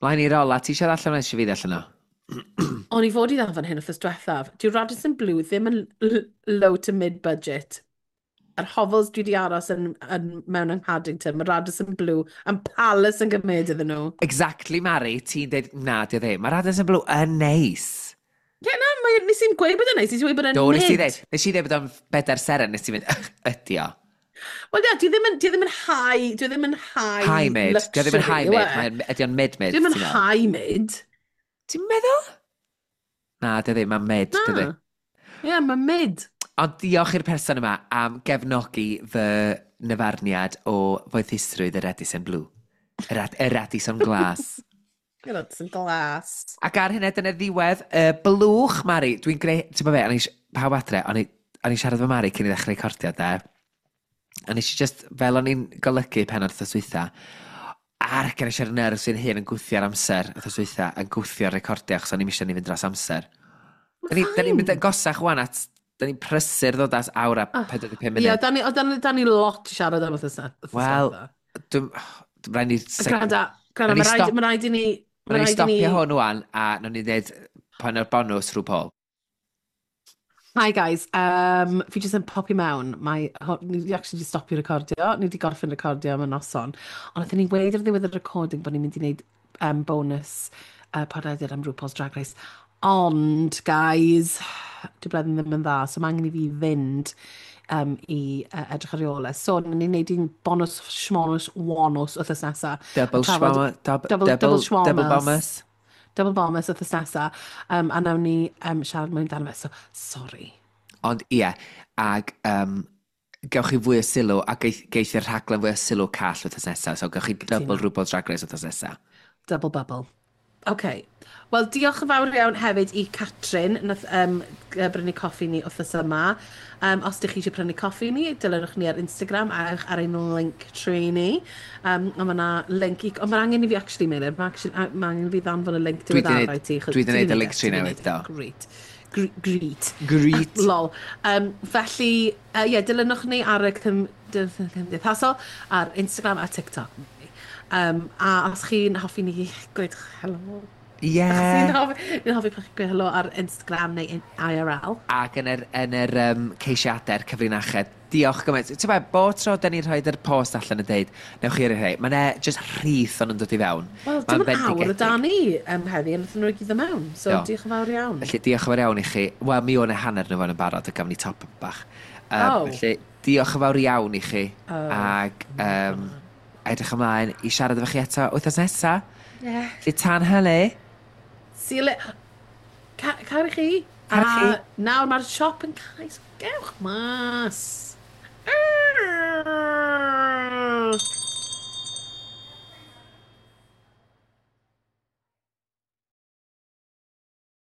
Mlaen i'r ola, ti eisiau allan o'n eisiau fi ddarllen o? O'n i fod i ddal fan hyn wythnos diwethaf. Dyw Radisson Blu ddim yn low to mid budget. Yr hovels dwi wedi aros yn, yn, mewn yng Nghaddington, mae Radisson Blu yn palace yn gymryd iddyn nhw. Exactly, Mari, ti'n dweud, na, di o ddim. Mae Radisson Blu yn neis. Ie, yeah, na, mae, nes i'n gweud bod yn neis, nes i'n gweud bod yn mid. Do, nes i dweud, nes i dweud bod o'n bedair seren, nes i'n mynd, ydi o. Wel, ie, dwi ddim yn, dwi ddim yn high, dwi ddim yn high High mid, dwi ddim yn high mid, mae'n, ydi o'n mid-mid. Dwi ddim yn high mid. Ti'n meddwl? Na, dy ddim, mae'n mid, dydy. Ie, yeah, mae'n mid. Ond diolch i'r person yma am gefnogi fy nyfarniad o foethusrwydd y Radisson Blue. Y, Rad y Radisson Glas. Y Radisson Glas. Ac ar hynny, dyna ddiwedd y blwch, Mari. Dwi'n greu... Ti'n bod be, o'n i... Pawb adre, o'n i siarad efo Mari cyn i ddechrau recordio, de. A nes i just, fel o'n i'n golygu penod wrth dwytha, ar gan eisiau'r nerves sy'n hun yn gwthio'r amser wrth dwytha, yn gwthio'r recordio, achos o'n i'n eisiau ni fynd dros amser. Da ni'n mynd yn gosach wan at, da ni'n prysur ddod at awr a 45 munud. Ie, da ni, da ni, da ni lot i siarad am wrth Wel, dwi'n rhaid ni... Gwranda, gwranda, mae rhaid i ni... Mae rhaid i ni stopio hwn wan, a nawn ni dweud pan o'r bonws rhyw Paul. Hi guys, fi jyst yn popi mewn. Mae, ni wedi actually di stopio recordio, ni wedi gorffen recordio am y noson. Ond nathon ni weud ar ddiwedd y recording bod ni'n mynd i wneud bonus podlediad am RuPaul's Drag Race. Ond, guys, dwi Bleddyn ddim yn dda, so mae angen i fi fynd i edrych ar ei ôl e. So, ni'n neud un bonus shmonus wonus wythnos nesaf. Double shmonus. Double, double, double bonus. Double bonus wythnos nesaf. A nawn ni siarad mwy amdano fe, so sorry. Ond ie, ag gewch chi fwy o sylw, a geith, geith i'r rhaglen fwy o sylw call wythnos nesaf, so gewch chi double RuPaul's Drag Race wythnos nesaf. Double bubble. OK. Wel, diolch yn fawr iawn hefyd i Catrin, nath brynu coffi ni wythnos yma. Os ydych chi eisiau prynu coffi ni, dilynwch ni ar Instagram a ewch ar ein link tree ni. Ond mae yna link i... Ond mae angen i fi actually, Meilir, mae ma angen i fi ddanfon y link diweddara i ti. Dwi wedi gwneud y link tree newydd, do. Great. Great. Great. Lol. Felly, yeah, dilynwch ni ar y cymdeithasol, ar Instagram a TikTok. A os chi'n hoffi ni gweud helo. Ie. Yeah. Ni'n hoffi pan chi'n gweud helo ar Instagram neu IRL. Ac yn yr, yn yr ceisiadau'r cyfrinachau. Diolch gymaint. Ti'n meddwl, bob tro da ni'n rhoi'r post allan yn deud, newch chi rhoi, mae'n e just rhith o'n yn dod i fewn. Wel, dim ond awr o dan ni heddi, a wnaethon nhw i gyd mewn. So, do. Diolch yn fawr iawn. Felly, diolch yn fawr iawn i chi. Wel, mi o'n e hanner nhw fan yn barod, a gafon ni top bach. Felly, diolch yn fawr iawn i chi. Oh. Ac edrych ymlaen i siarad efo chi eto wythnos nesa. Yeah. Felly, tan hynny. See you later. Caru chi. Caru chi. A nawr mae'r siop yn cau, so gewch mas.